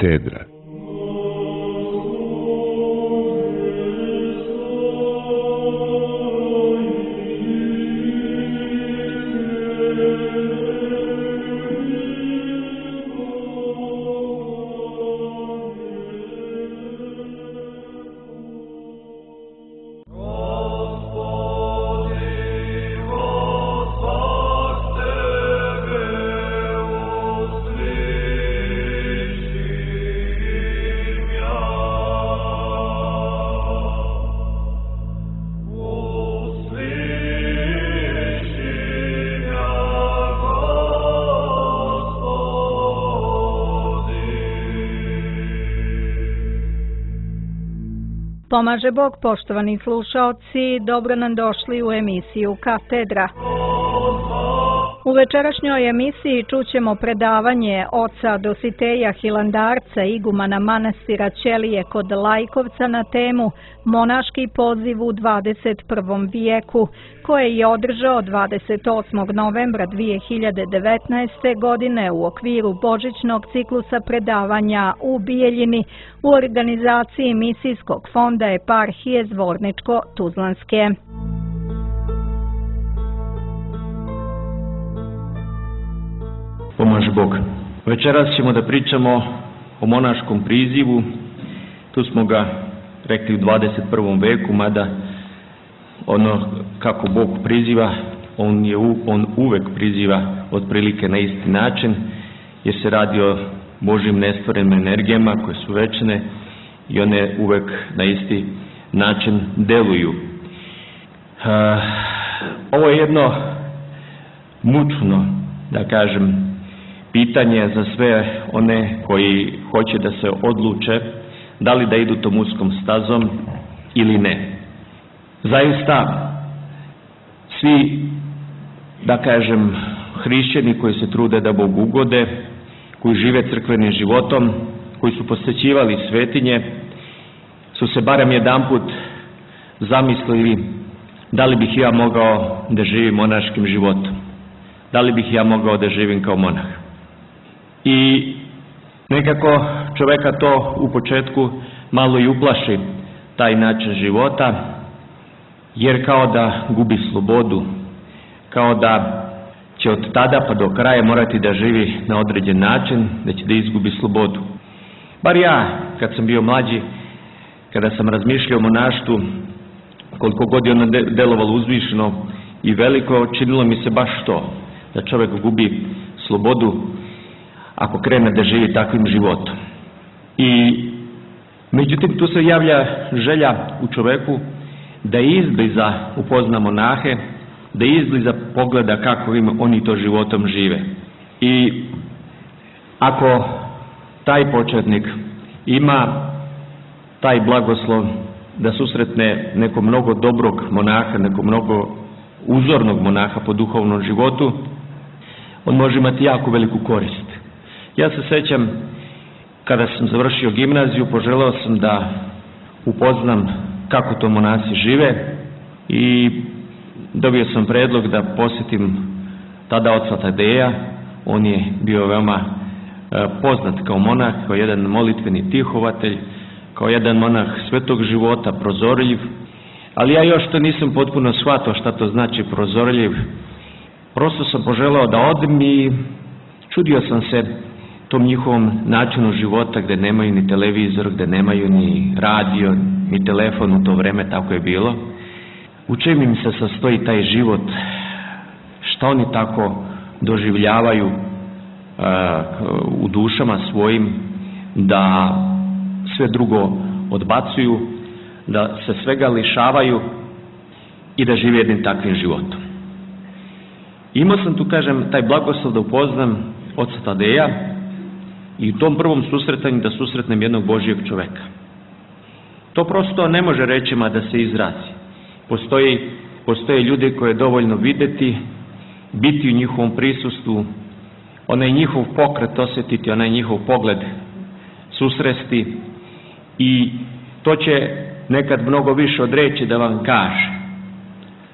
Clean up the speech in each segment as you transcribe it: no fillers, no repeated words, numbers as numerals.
Katedra. Pomaže Bog, poštovani slušaoci, dobro nam došli u emisiju Katedra. U večerašnjoj emisiji čućemo predavanje oca Dositeja Hilandarca, igumana manastira Ćelije kod Lajkovca na temu Monaški poziv u 21. vijeku, koje je održao 28. novembra 2019. godine u okviru božićnog ciklusa predavanja u Bijeljini u organizaciji Misijskog fonda Eparhije Zvorničko-Tuzlanske. Pomaže Bog. Večeras ćemo da pričamo o monaškom prizivu. Tu smo ga rekli u 21. veku, mada ono kako Bog priziva, on uvek priziva otprilike na isti način, jer se radi o Božjim nestvorenim energijama koje su večne i one uvek na isti način deluju. Ovo je jedno mučno, da kažem, pitanje za sve one koji hoće da se odluče da li da idu tom uskom stazom ili ne. Zaista, svi, da kažem, hrišćani koji se trude da Bogu ugode, koji žive crkvenim životom, koji su posjećivali svetinje, su se barem jedanput zamislili da li bih ja mogao da živim monaškim životom, da li bih ja mogao da živim kao monah. I nekako čoveka to u početku malo i uplaši, taj način života, jer kao da gubi slobodu, kao da će od tada pa do kraja morati da živi na određen način, da će da izgubi slobodu. Bar ja, kad sam bio mlađi, kada sam razmišljao o monaštvu, koliko god je ono delovalo uzvišeno i veliko, činilo mi se baš to, da čovjek gubi slobodu ako krene da živi takvim životom. I međutim, tu se javlja želja u čoveku da izbliza upozna monahe, da izbliza pogleda kako oni to životom žive. I ako taj početnik ima taj blagoslov da susretne nekog mnogo dobrog monaha, nekog mnogo uzornog monaha po duhovnom životu, on može imati jako veliku korist. Ja se sećam, kada sam završio gimnaziju, poželeo sam da upoznam kako to monasi žive i dobio sam predlog da posjetim tada oca Tadeja. On je bio veoma poznat kao monah, kao jedan molitveni tihovatelj, kao jedan monah svetog života, prozorljiv, ali ja još to nisam potpuno shvatao šta to znači prozorljiv. Prosto sam poželeo da odem i čudio sam se tom njihovom načinu života gde nemaju ni televizor, gde nemaju ni radio, ni telefon, u to vreme tako je bilo. U čem im se sastoji taj život, šta oni tako doživljavaju u dušama svojim, da sve drugo odbacuju, da se svega lišavaju i da žive jednim takvim životom. Imao sam tu, kažem, taj blagoslov da upoznam oca Tadeja i u tom prvom susretanju da susretnem jednog Božijeg čoveka. To prosto ne može rečima da se izrazi. Postoje ljudi koje je dovoljno videti, biti u njihovom prisustvu, onaj njihov pokret osjetiti, onaj njihov pogled susresti i to će nekad mnogo više od reči da vam kaže.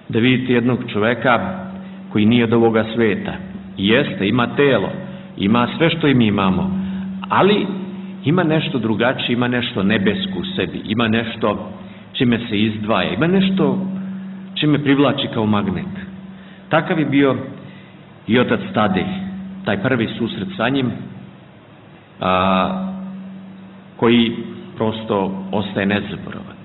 Da vidite jednog čoveka koji nije od ovoga sveta. Jeste, ima telo, ima sve što i mi imamo, ali ima nešto drugačije, ima nešto nebesko u sebi, ima nešto čime se izdvaja, ima nešto čime privlači kao magnet. Takav je bio i otac Tadej, taj prvi susret sa njim, koji prosto ostaje nezaboravan.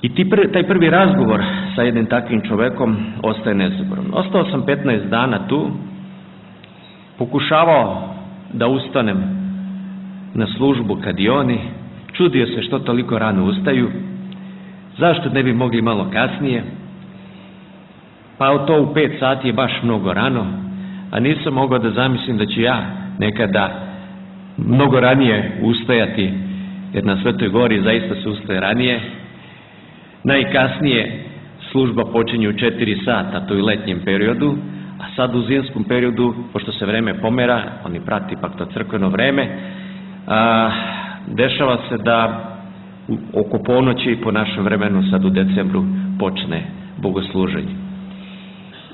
I taj prvi razgovor sa jednim takvim čovekom ostaje nezaboravan. Ostao sam 15 dana tu, pokušavao da ustanem na službu kad i oni, čudio se što toliko rano ustaju, zašto ne bi mogli malo kasnije, pa to u 5 sati je baš mnogo rano, a nisam mogao da zamislim da ću ja nekada mnogo ranije ustajati, jer na Svetoj Gori zaista se ustaje ranije. Najkasnije služba počinje u 4 sata, to je u letnjem periodu, a sad u zimskom periodu, pošto se vreme pomera, oni prati pak to crkveno vreme, dešava se da oko ponoći po našem vremenu, sad u decembru, počne bogosluženje.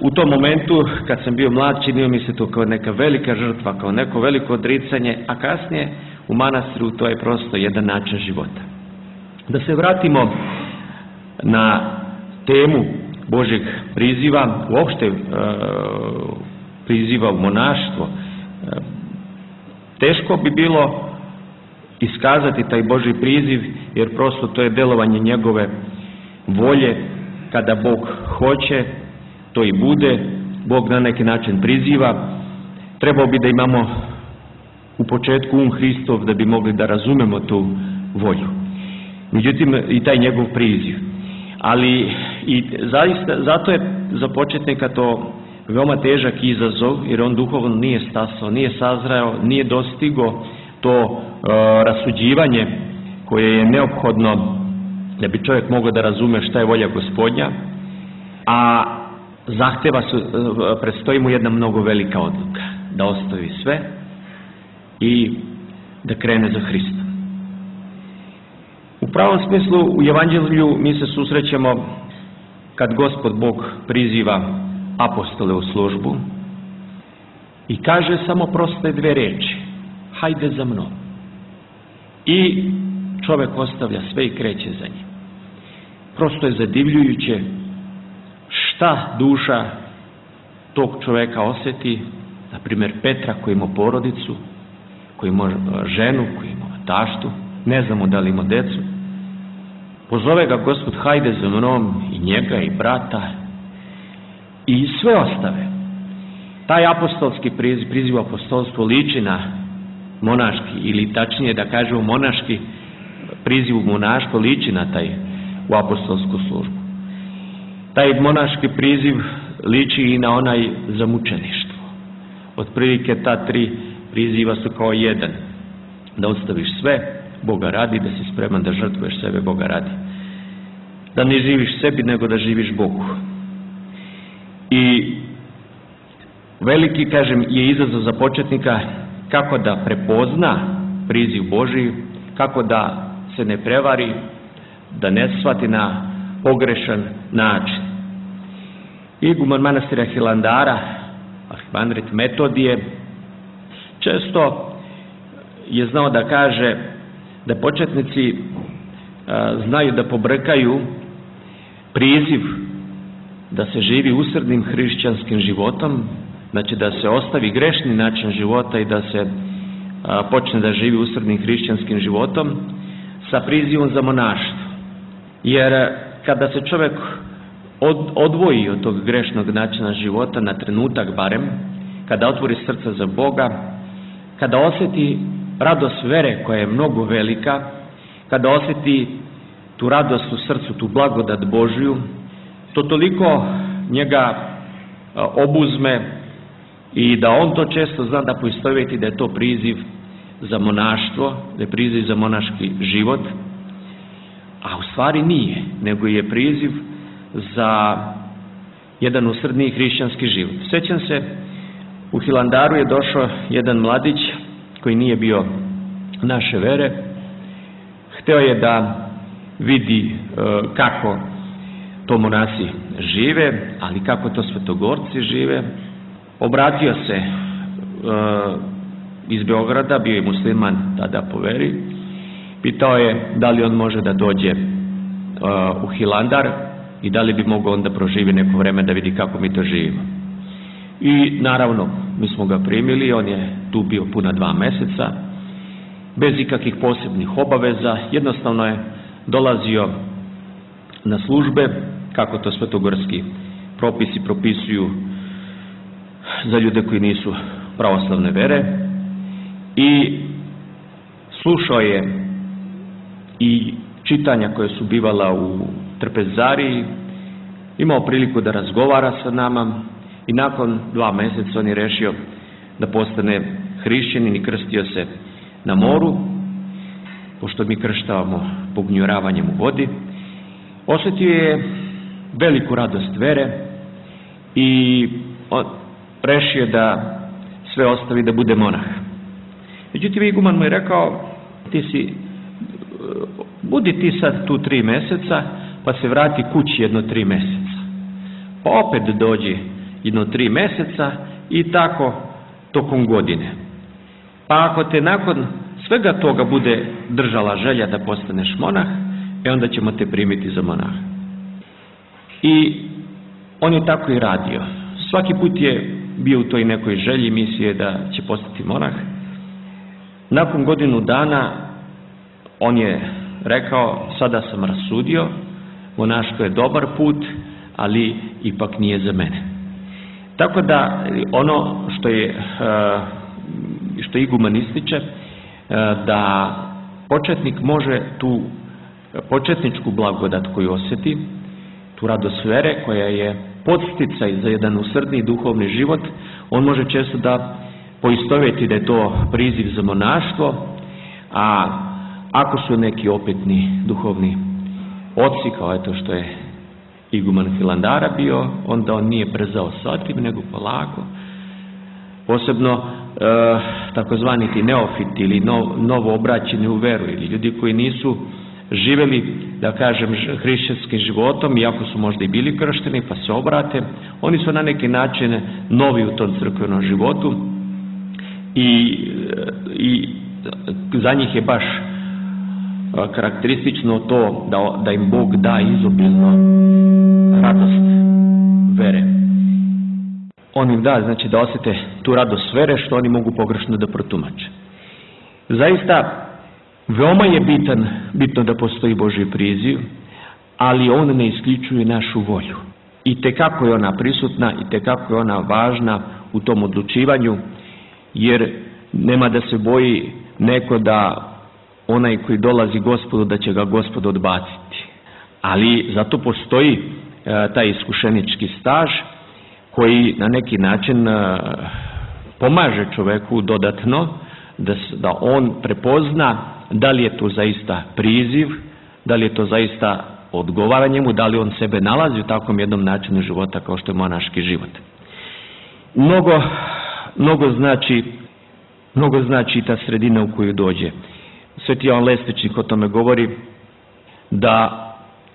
U tom momentu, kad sam bio mlad, činio mi se to kao neka velika žrtva, kao neko veliko odricanje, a kasnije u manastiru to je prosto jedan način života. Da se vratimo na temu Božjeg priziva, uopšte priziva u monaštvo. Teško bi bilo iskazati taj Božji priziv, jer prosto to je delovanje njegove volje. Kada Bog hoće, to i bude. Bog na neki način priziva. Trebao bi da imamo u početku Hristov da bi mogli da razumemo tu volju. Međutim, i taj njegov priziv. Ali i zaista, zato je za početnika to veoma težak izazov, jer on duhovno nije stasao, nije sazreo, nije dostigo to rasuđivanje koje je neophodno da bi čovjek mogao da razume šta je volja Gospodnja, a predstoji mu jedna mnogo velika odluka, da ostavi sve i da krene za Hristom. U pravom smislu u Evanđelju mi se susrećemo kad Gospod Bog priziva apostole u službu i kaže samo proste 2 reči: hajde za mnom. I čovjek ostavlja sve i kreće za njim. Prosto je zadivljujuće šta duša tog čovjeka osjeti, na primjer Petra koji ima porodicu, koji ima ženu, koji ima taštu, ne znamo da li ima decu. Pozove ga Gospod, hajde za mnom, i njega i brata i sve ostave. Taj apostolski priziv apostolstvo liči na monaški, ili tačnije da kažemo monaški priziv u monaštvo liči na taj u apostolsku službu. Taj monaški priziv liči i na onaj za mučeništvo. Otprilike ta 3 priziva su kao jedan: da ostaviš sve Boga radi, da si spreman da žrtvuješ sebe Boga radi, da ne živiš sebi nego da živiš Bogu. I veliki, kažem, je izazov za početnika kako da prepozna priziv Božji, kako da se ne prevari, da ne shvati na pogrešan način. Iguman manastira Hilandara, arhimandrit Metodije, često je znao da kaže da početnici znaju da pobrkaju priziv da se živi usrdnim hrišćanskim životom, znači da se ostavi grešni način života i da se počne da živi usrdnim hrišćanskim životom, sa prizivom za monaštvo. Jer kada se čovjek odvoji od tog grešnog načina života na trenutak barem, kada otvori srce za Boga, kada osjeti radost vere koja je mnogo velika, kada osjeti tu radost u srcu, tu blagodat Božju, to toliko njega obuzme i da on to često zna da poistovjeti da je to priziv za monaštvo, da je priziv za monaški život, a u stvari nije, nego je priziv za jedan usrdniji hrišćanski život. Sjećam se, u Hilandaru je došao jedan mladić koji nije bio naše vere, hteo je da vidi kako to monasi žive, ali kako to svetogorci žive. Obratio se iz Beograda, bio je musliman tada po veri, pitao je da li on može da dođe u Hilandar i da li bi mogao onda proživi neko vreme da vidi kako mi to živimo. I naravno, mi smo ga primili, on je tu bio puna 2 meseca, bez ikakvih posebnih obaveza, jednostavno je dolazio na službe, kako to svetogorski propisi propisuju za ljude koji nisu pravoslavne vere, i slušao je i čitanja koje su bivala u trpezariji, imao priliku da razgovara sa nama i nakon 2 meseca on je rešio da postane hrišćanin i krstio se na moru, pošto mi krštavamo pognjuravanjem u vodi. Osjetio je veliku radost vere i rešio da sve ostavi da bude monah. Međutim, iguman mu je rekao, budi ti sad tu 3 meseca, pa se vrati kući jedno 3 meseca. Pa opet dođi jedno 3 meseca i tako tokom godine. Pa ako te nakon svega toga bude držala želja da postaneš monah, onda ćemo te primiti za monaha. I on je tako i radio. Svaki put je bio u toj nekoj želji, misije da će postati monah. Nakon godinu dana on je rekao, sada sam rasudio, monaštvo je dobar put, ali ipak nije za mene. Tako da ono što iguman ističe, da početnik može tu početničku blagodat koju osjeti, tu radost vere koja je podsticaj za jedan usrdni duhovni život, on može često da poistovjeti da je to priziv za monaštvo, a ako su neki opetni duhovni oci, kao eto što je iguman Hilandara bio, onda on nije brzao sa tim, nego polako. Posebno takozvani ti neofiti ili novo obraćeni u veru, ili ljudi koji nisu živjeli, da kažem, hrišćanskim životom, iako su možda i bili kršteni, pa se obrate, oni su na neki način novi u tom crkvenom životu i za njih je baš karakteristično to da im Bog da izobilno radost vere. On im da, znači, da osjete tu radost vere što oni mogu pogrešno da protumače. Zaista, veoma je bitno da postoji Božji priziv, ali on ne isključuje našu volju. I tekako je ona prisutna, i tekako je ona važna u tom odlučivanju, jer nema da se boji neko da onaj koji dolazi Gospodu, da će ga Gospod odbaciti. Ali zato postoji taj iskušenički staž koji na neki način pomaže čoveku dodatno da on prepozna da li je to zaista priziv, da li je to zaista odgovara njemu, da li on sebe nalazi u takvom jednom načinu života kao što je monaški život. Mnogo znači ta sredina u koju dođe. Sveti Jovan Lesničnik o tome govori da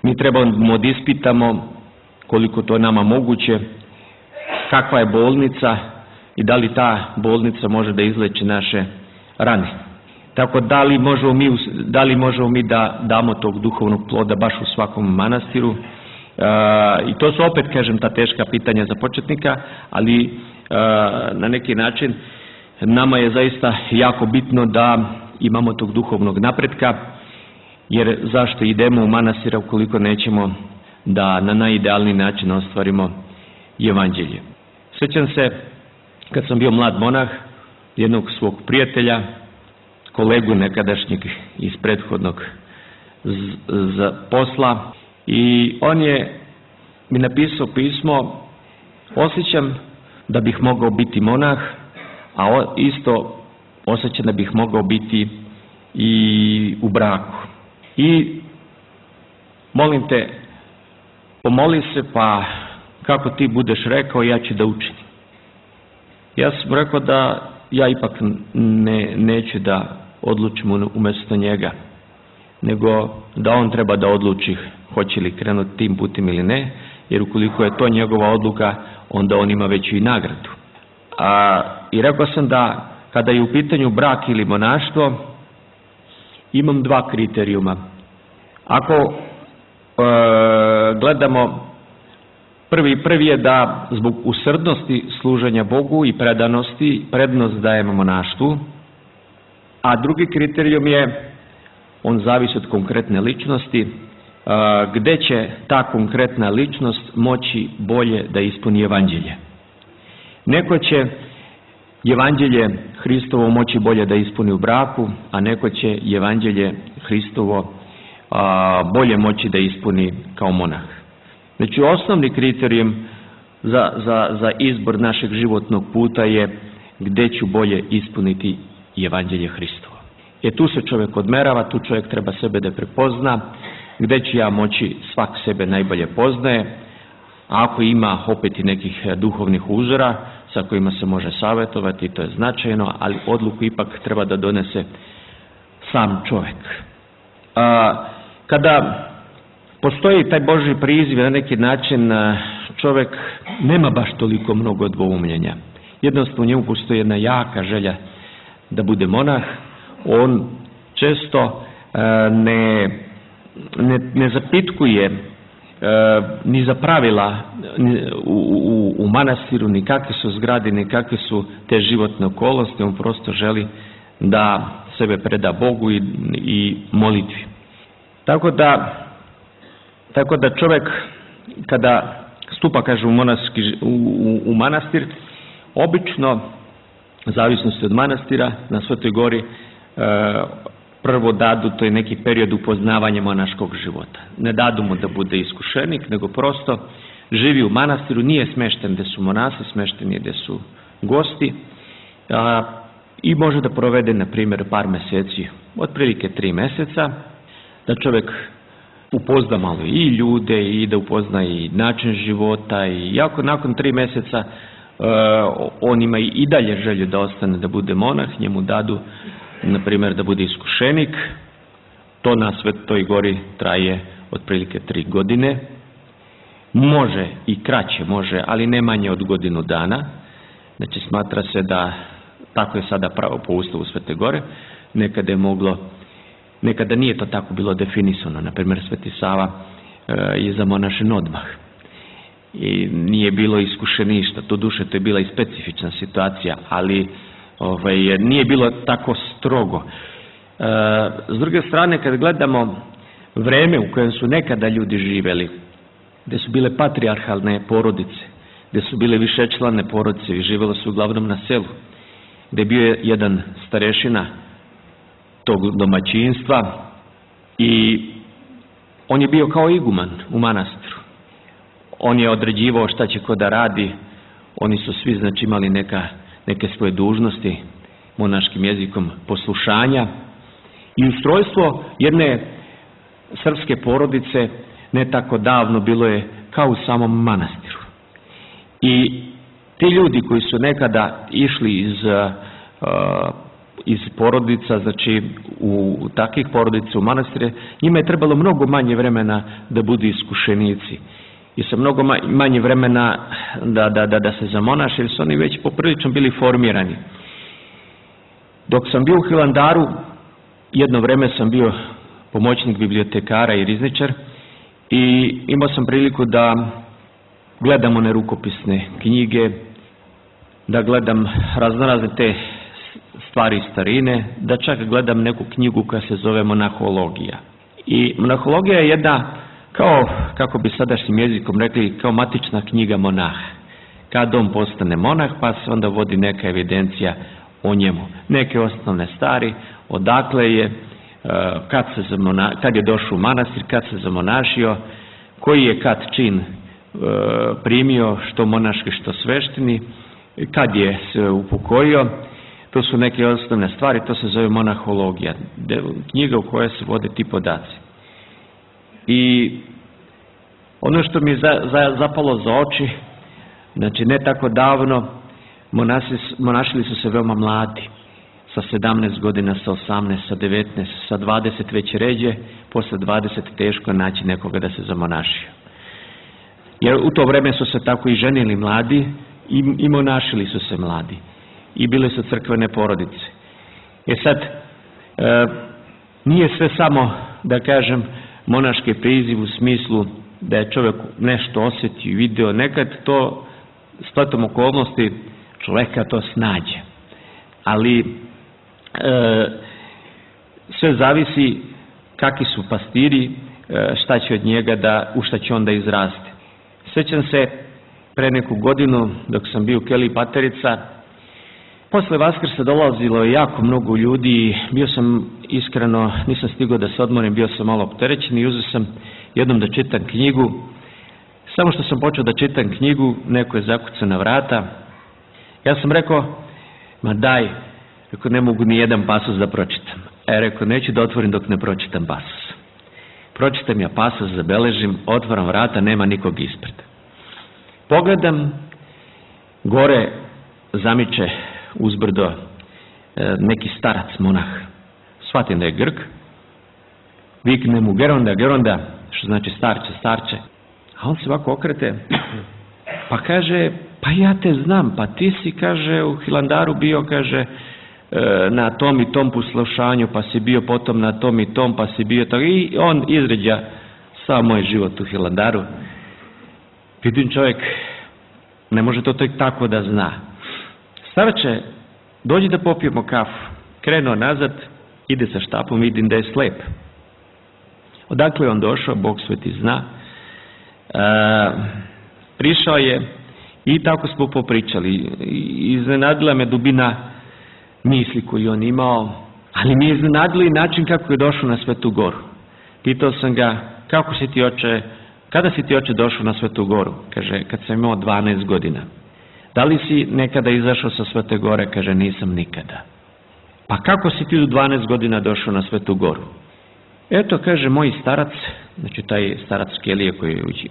mi trebamo da ispitamo koliko to nama moguće, kakva je bolnica i da li ta bolnica može da izleči naše rane. Tako da li možemo mi da damo tog duhovnog ploda baš u svakom manastiru, i to su opet, kažem, ta teška pitanja za početnika, ali na neki način nama je zaista jako bitno da imamo tog duhovnog napretka, jer zašto idemo u manastir ukoliko nećemo da na najidealniji način ostvarimo evanđelje. Sjećam se kad sam bio mlad monah, jednog svog prijatelja, kolegu nekadašnjeg iz prethodnog posla, i on je mi napisao pismo: osjećam da bih mogao biti monah, a isto osjećam da bih mogao biti i u braku. I molim te, pomoli se, pa kako ti budeš rekao, ja ću da učinim. Ja sam rekao da ja ipak neću da odlučim umjesto njega, nego da on treba da odluči hoće li krenuti tim putem ili ne, jer ukoliko je to njegova odluka, onda on ima veću i nagradu. I rekao sam da kada je u pitanju brak ili monaštvo, imam dva kriterijuma. Ako gledamo, prvi je da zbog usrdnosti služenja Bogu i predanosti prednost dajemo monaštvu, a drugi kriterijum je, on zavisi od konkretne ličnosti, gde će ta konkretna ličnost moći bolje da ispuni evanđelje. Neko će evanđelje Hristovo moći bolje da ispuni u braku, a neko će evanđelje Hristovo bolje moći da ispuni kao monah. Znači, osnovni kriterijum za izbor našeg životnog puta je gde ću bolje ispuniti evanđelje Hristovo. Tu se čovjek odmerava, tu čovjek treba sebe da prepozna, gde ću ja moći, svak sebe najbolje poznaje, a ako ima opet i nekih duhovnih uzora sa kojima se može savjetovati, to je značajno, ali odluku ipak treba da donese sam čovjek. Kada postoji taj Božji priziv, na neki način čovjek nema baš toliko mnogo dvoumljenja. Jednostavno u njemu postoji jedna jaka želja da bude monah. On često ne zapitkuje ni za pravila u manastiru, ni kakve su zgrade, ni kakve su te životne okolnosti. On prosto želi da sebe preda Bogu i molitvi. Tako da čovjek kada stupa, kaže, u manastir, obično, zavisnosti od manastira, na Svetoj gori prvo dadu, to je neki period upoznavanja monaškog života. Ne dadu mu da bude iskušenik, nego prosto živi u manastiru, nije smešten gde su monasi, smešten je gde su gosti, i može da provede, na primjer, par meseci, otprilike 3 meseca, da čovjek upozna malo i ljude i da upozna i način života, i jako nakon 3 meseca on ima i dalje želju da ostane da bude monah, njemu dadu, na primjer, da bude iskušenik. To na Svetoj gori traje otprilike 3 godine. Može i kraće, može, ali ne manje od godinu dana. Znači, smatra se da, tako je sada pravo po Ustavu Svete gore, nekada nije to tako bilo definisano. Na primjer, Sveti Sava je zamonašen odmah i nije bilo iskušeništa. Doduše, to je bila i specifična situacija, ali nije bilo tako strogo. S druge strane, kad gledamo vreme u kojem su nekada ljudi živeli, gde su bile patrijarhalne porodice, gde su bile višečlane porodice i živjelo se uglavnom na selu, gde je bio jedan starešina tog domaćinstva i on je bio kao iguman u manastiru. On je određivao šta će ko da radi. Oni su svi, znači, imali neke svoje dužnosti, monaškim jezikom poslušanja, i ustrojstvo jedne srpske porodice ne tako davno bilo je kao u samom manastiru. I ti ljudi koji su nekada išli iz porodica, znači u takvih porodica u manastire, njima je trebalo mnogo manje vremena da budu iskušenici i sa mnogo manje vremena da se zamonaše, jer su oni već poprilično bili formirani. Dok sam bio u Hilandaru, jedno vreme sam bio pomoćnik bibliotekara i rizničar i imao sam priliku da gledam one rukopisne knjige, da gledam raznorazne te stvari starine, da čak gledam neku knjigu koja se zove Monahologija. I Monahologija je jedna, kao, kako bi sadašnjim jezikom rekli, kao matična knjiga monaha. Kad on postane monah, pa se onda vodi neka evidencija o njemu. Neke osnovne stvari, odakle je, kad je došao u manastir, kad se zamonašio, koji je kad čin primio, što monaški, što svešteni, kad je se upokojio. To su neke osnovne stvari, to se zove Monahologija, knjiga u kojoj se vode ti podaci. I ono što mi je zapalo za oči, znači ne tako davno, monašili su se veoma mladi, sa 17 godina, sa 18, sa 19, sa 20 već ređe, posle 20 teško naći nekoga da se zamonašio. Jer u to vreme su se tako i ženili mladi i monašili su se mladi. i bile su crkvene porodice. Sad, nije sve samo, da kažem, monaški priziv u smislu da je čovjek nešto osjetio i video, nekad to spletom okolnosti čovjeka to snađe. Ali sve zavisi kakvi su pastiri, šta će od njega u šta će onda izrasti. Sjećam se pre neku godinu dok sam bio u Keliji Paterica, posle Vaskrsa dolazilo je jako mnogo ljudi, bio sam iskreno, nisam stigao da se odmorim, bio sam malo opterećen i uzeo sam jednom da čitam knjigu. Samo što sam počeo da čitam knjigu, neko je zakucao na vrata. Ja sam rekao, ma daj, rekao, ne mogu ni jedan pasus da pročitam. Rekao, neću da otvorim dok ne pročitam pasus. Pročitam ja pasus, zabeležim, otvaram vrata, nema nikog ispred. Pogledam, gore zamiče uzbrdo neki starac monah. Shvatim da je Grk. Vikne mu Geronda, Geronda, što znači starče, starče. A on se ovako okrete, pa kaže, pa ja te znam, pa ti si, kaže, u Hilandaru bio, kaže, na tom i tom poslušanju, pa si bio potom na tom i tom, pa si bio tako. I on izređa sav moj život u Hilandaru. Vidim, čovjek ne može to tako da zna. Starče, dođi da popijemo kafu. Krenuo nazad, ide sa štapom, vidim da je slep. Odakle je on došao, Bog sveti zna. Prišao je i tako smo popričali. Iznenadila me dubina misli koju on imao, ali mi je iznenadilo i način kako je došao na Svetu Goru. Pitao sam ga, kako si ti, oče, kada si ti, oče, došao na Svetu Goru? Kaže, kad sam imao 12 godina. Da li si nekada izašao sa Svete Gore? Kaže, nisam nikada. Pa kako si ti u 12 godina došao na Svetu Goru? Eto, kaže, moj starac, znači taj starac Kelije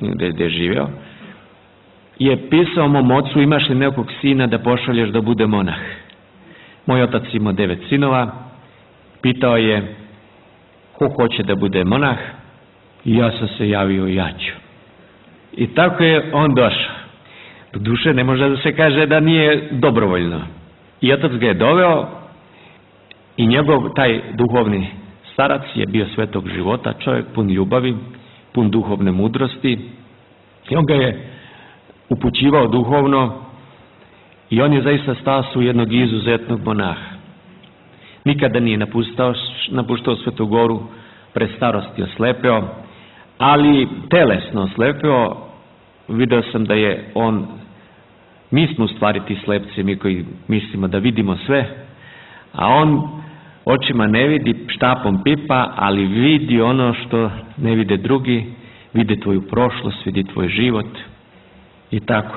gdje je živeo, je pisao mom ocu, imaš li nekog sina da pošalješ da bude monah? Moj otac imao 9 sinova, pitao je ko hoće da bude monah i ja sam se javio, ja ću. I tako je on došao. Do duše ne može da se kaže da nije dobrovoljno. I otac ga je doveo i njegov taj duhovni starac je bio svetog života, čovjek pun ljubavi, pun duhovne mudrosti i on ga je upućivao duhovno i on je zaista stasao jednog izuzetnog monaha. Nikada nije napuštao Svetu Goru, pre starosti oslepeo, ali telesno oslepeo. Video sam da je on, mi smo u stvari ti slepci, mi koji mislimo da vidimo sve, a on očima ne vidi, štapom pipa, ali vidi ono što ne vide drugi, vidi tvoju prošlost, vidi tvoj život i tako.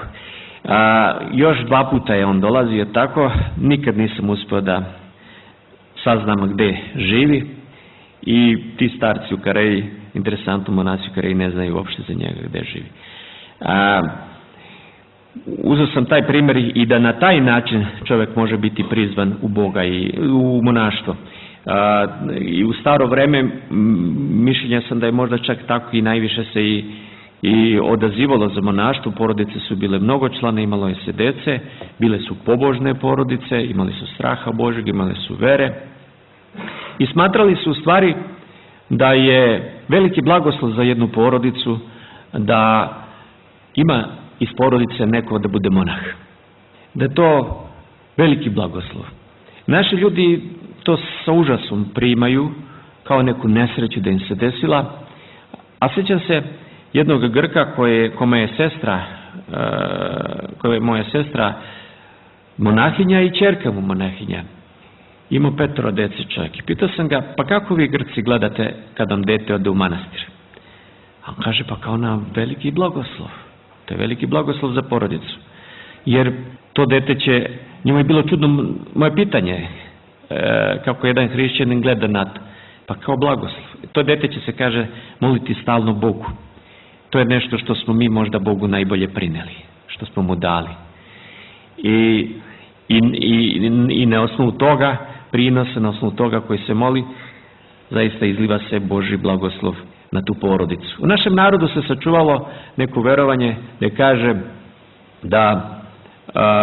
Još 2 puta je on dolazio tako, nikad nisam uspio da saznam gde živi i ti starci u Kareji, interesantno, monasi u Kareji ne znaju uopšte za njega gde živi. Uzeo sam taj primjer i da na taj način čovjek može biti prizvan u Boga i u monaštvo. I u staro vreme mišljenja sam da je možda čak tako i najviše se i odazivalo za monaštvo. Porodice su bile mnogočlane, imalo je se dece, bile su pobožne porodice, imali su straha Božeg, imali su vere i smatrali su u stvari da je veliki blagoslov za jednu porodicu da ima iz porodice neko da bude monah. Da je to veliki blagoslov. Naši ljudi to sa užasom primaju kao neku nesreću da im se desila, a sjećam se jednog Grka koja je moja sestra monahinja i ćerka mu monahinja. Imao 5 dece čovjek. I pitao sam ga, pa kako vi Grci gledate kad vam dete ode u manastir? A on kaže, pa kao na veliki blagoslov. To je veliki blagoslov za porodicu. Jer to dete će, njemu je bilo čudno moje pitanje, kako jedan hrišćanin gleda na to. Pa kao blagoslov. To dete će se, kaže, moliti stalno Bogu. To je nešto što smo mi možda Bogu najbolje prineli, što smo mu dali. I na osnovu toga, prinosa, na osnovu toga koji se moli, zaista izliva se Božji blagoslov na tu porodicu. U našem narodu se sačuvalo neko verovanje da kaže da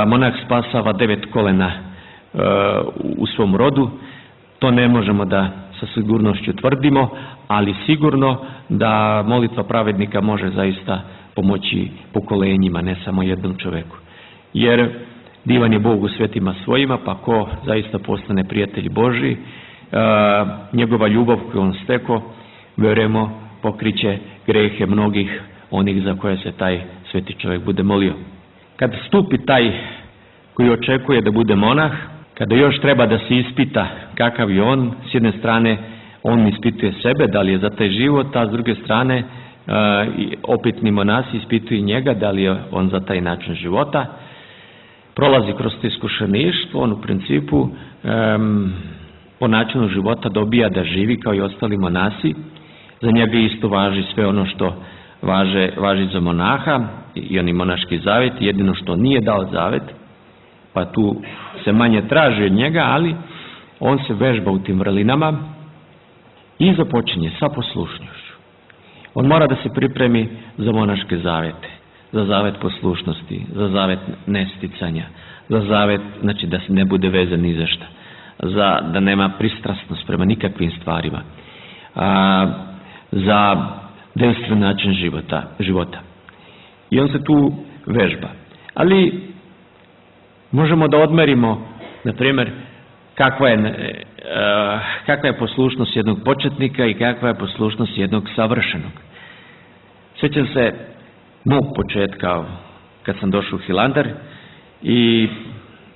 monah spasava 9 kolena u svom rodu, to ne možemo da sa sigurnošću tvrdimo, ali sigurno da molitva pravednika može zaista pomoći pokolenjima, ne samo jednom čoveku. Jer divan je Bog u svetima svojima, pa ko zaista postane prijatelj Božji, njegova ljubav koju on steko, vjerujemo, pokriće grehe mnogih onih za koje se taj sveti čovjek bude molio. Kad stupi taj koji očekuje da bude monah, kada još treba da se ispita kakav je on, s jedne strane on ispituje sebe, da li je za taj život, a s druge strane opitni monasi ispituju njega, da li je on za taj način života. Prolazi kroz to iskušeništvo, on u principu po načinu života dobija da živi kao i ostali monasi. Za njega isto važi sve ono što važi za monaha i oni monaški zavet, jedino što nije dao zavet, pa tu se manje traži od njega, ali on se vežba u tim vrlinama i započinje sa poslušnošću. On mora da se pripremi za monaške zavete, za zavet poslušnosti, za zavet nesticanja, za zavet, znači da se ne bude vezan ni za šta, da nema pristrasnost prema nikakvim stvarima, za denstven način života. I on se tu vežba. Ali možemo da odmerimo, na primjer, kakva je poslušnost jednog početnika i kakva je poslušnost jednog savršenog. Sjećam se mog početka kad sam došao u Hilandar i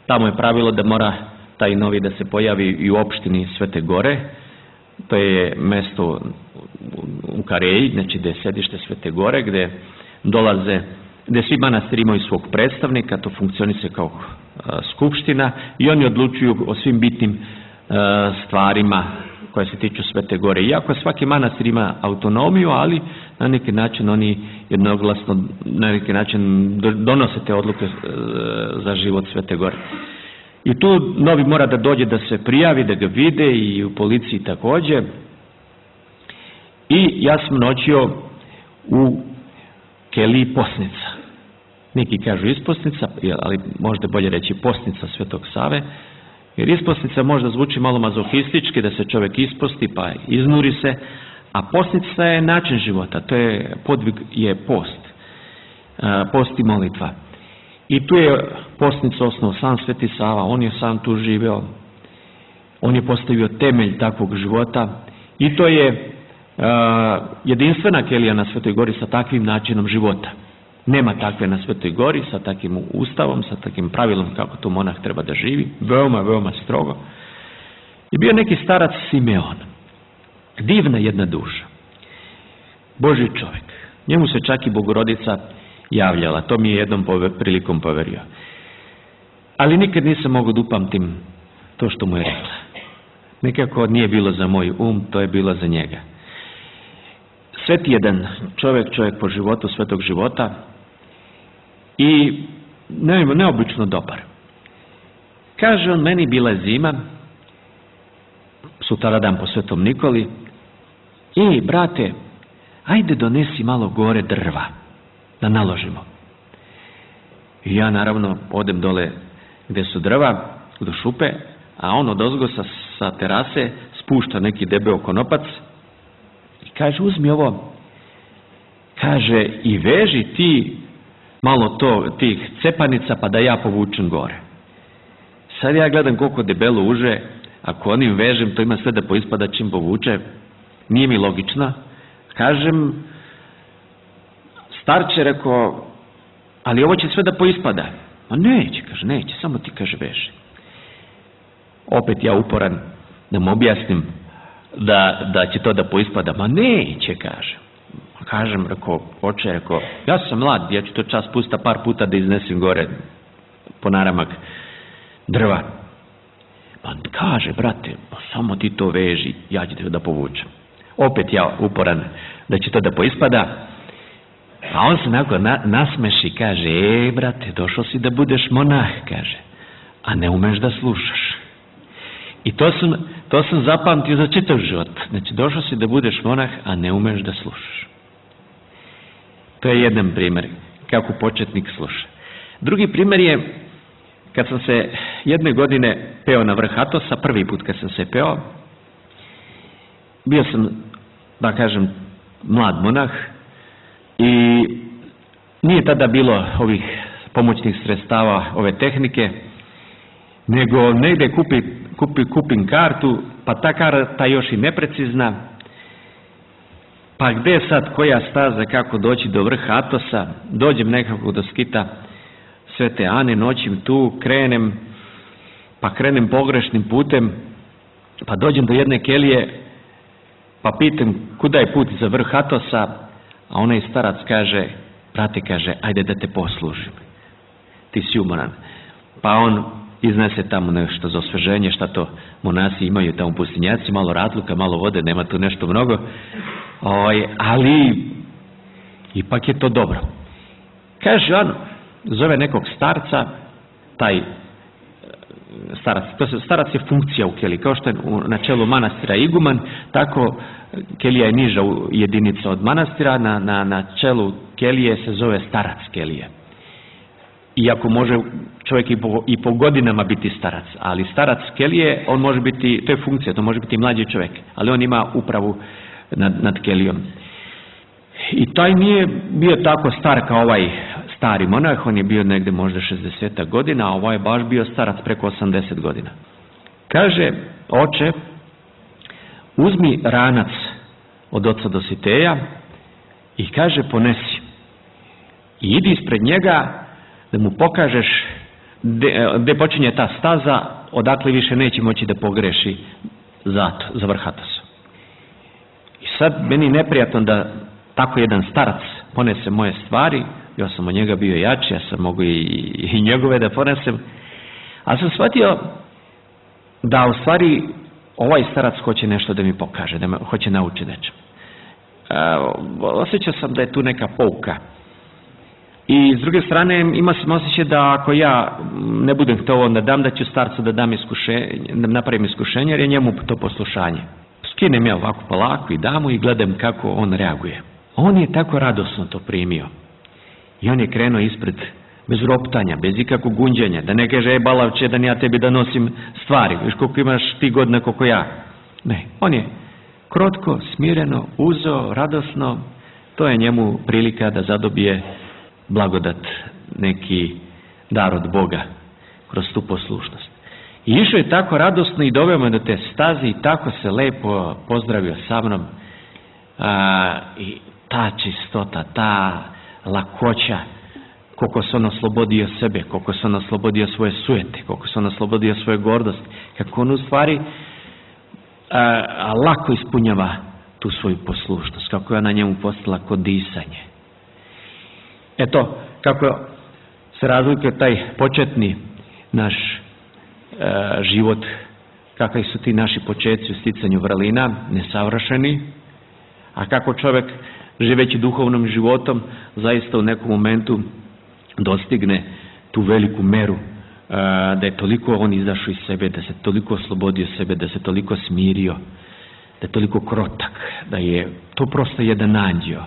tamo je pravilo da mora taj novi da se pojavi i u opštini Svete Gore. To je mesto u Kareji, znači gdje je sedište Svete Gore, gdje svi manastiri imaju svog predstavnika, to funkcioniše kao skupština i oni odlučuju o svim bitnim stvarima koje se tiču Svete Gore. Iako svaki manastir ima autonomiju, ali na neki način oni jednoglasno na neki način donose te odluke za život Svete Gore. I tu novi mora da dođe da se prijavi, da ga vide i u policiji također. I ja sam noćio u keliji posnica. Neki kažu isposnica, ali možda bolje reći posnica Svetog Save, jer isposnica možda zvuči malo mazohistički, da se čovjek isposti pa iznuri se, a postica je način života, to je podvig, je post i molitva. I tu je postnica osnov sam Sveti Sava, on je sam tu živeo, on je postavio temelj takvog života i to je jedinstvena kelija na Svetoj Gori sa takvim načinom života. Nema takve na Svetoj Gori, sa takvim ustavom, sa takvim pravilom kako to monah treba da živi, veoma, veoma strogo. I bio neki starac Simeon, divna jedna duša, Božji čovjek. Njemu se čak i Bogorodica javljala, to mi je jednom prilikom poverio. Ali nikad nisam mogao da upamtim to što mu je rekla. Nekako nije bilo za moj to je bilo za njega. Sveti jedan čovjek po životu, svetog života i neobično dobar. Kaže on, meni bila je zima, sutradan po Svetom Nikoli, brate, ajde donesi malo gore drva, da naložimo. I ja naravno odem dole gdje su drva, do šupe, a on odozgo sa terase spušta neki debeo konopac i kaže, uzmi ovo, kaže, i veži ti malo tih cepanica pa da ja povučem gore. Sad ja gledam koliko debelo uže, ako onim vežem, to ima sve da poispada čim povuče, nije mi logično. Kažem, starče, rekao, ali ovo će sve da poispada. Ma neće, kaže, neće, samo ti, kaže, veži. Opet ja uporan da mu objasnim da će to da poispada. Ma neće, kaže. Kažem, rekao, oče, rekao, ja sam mlad, ja ću to čas pusta par puta da iznesem gore po naramak drva. Pa kaže, brate, pa samo ti to veži, ja ću te da povučem. Opet ja uporan da će to da poispada. A on se onako nasmeši, kaže, brate, došao si da budeš monah, kaže, a ne umeš da slušaš. I to sam zapamtio za čitav život. Znači, došao si da budeš monah, a ne umeš da slušaš. To je jedan primjer, kako početnik sluša. Drugi primjer je kad sam se jedne godine peo na vrh Atosa, prvi put kad sam se peo, bio sam, da kažem, mlad monah i nije tada bilo ovih pomoćnih sredstava, ove tehnike, nego negdje kupim kartu, pa ta karta još i neprecizna, pa gdje sad koja staza, kako doći do vrha Atosa, dođem nekako do skita Svete Ane, noćim tu, krenem pogrešnim putem, pa dođem do jedne kelije, pa pitam kuda je put za vrh Atosa, a onaj starac kaže, brate, kaže, ajde da te poslužim, ti si umoran. Pa on iznese tamo nešto za osveženje, šta to monasi imaju tamo u pustinjaci, malo ratluka, malo vode, nema tu nešto mnogo, ali ipak je to dobro. Kaže on, zove nekog starca, taj starac je funkcija u keliji, kao što je na čelu manastira iguman, tako kelija je niža jedinica od manastira, na čelu kelije se zove starac kelije. Iako može čovjek i po godinama biti starac, ali starac kelije, on može biti, to je funkcija, to može biti mlađi čovjek, ali on ima upravu nad kelijom. I taj nije bio tako star kao ovaj stari monah, on je bio negdje možda 60 godina, a ovaj je baš bio starac preko 80 godina. Kaže, oče, uzmi ranac od oca Dositeja i kaže, ponesi. I idi ispred njega da mu pokažeš gdje počinje ta staza, odakle više neće moći da pogreši za vrh Atosa. I sad meni neprijatno da tako jedan starac ponese moje stvari, ja sam od njega bio jači, ja sam mogu i njegove da ponesem, ali sam shvatio da u stvari ovaj starac hoće nešto da mi pokaže, da me hoće naučiti nečem. Osjećao sam da je tu neka pouka. I s druge strane imao sam osjećaj da ako ja ne budem htio onda da ću starcu da napravim iskušenje, jer je njemu to poslušanje. Skinem ja ovako polako i dam mu i gledam kako on reaguje. On je tako radosno to primio. I on je krenuo ispred, bez roptanja, bez ikakvog gunđenja, da ne kaže, balavče, da ja tebi da nosim stvari, viš koliko imaš ti godina koliko ja. Ne, on je krotko, smireno, uzeo, radosno, to je njemu prilika da zadobije blagodat, neki dar od Boga kroz tu poslušnost. I išao je tako radosno i doveo me do te staze i tako se lepo pozdravio sa mnom. I ta čistota, ta lakoća, koliko se on oslobodio sebe, koliko se on oslobodio svoje sujete, koliko se on oslobodio svoje gordosti, kako on u stvari lako ispunjava tu svoju poslušnost, kako je ona njemu postala kod disanje. Eto, kako se razlikuje taj početni naš život, kakvi su ti naši početci u sticanju vrlina, nesavršeni, a kako čovjek živeći duhovnom životom zaista u nekom momentu dostigne tu veliku meru, da je toliko on izašao iz sebe, da se toliko oslobodio sebe, da se toliko smirio, da je toliko krotak, da je to prosto jedan anđeo.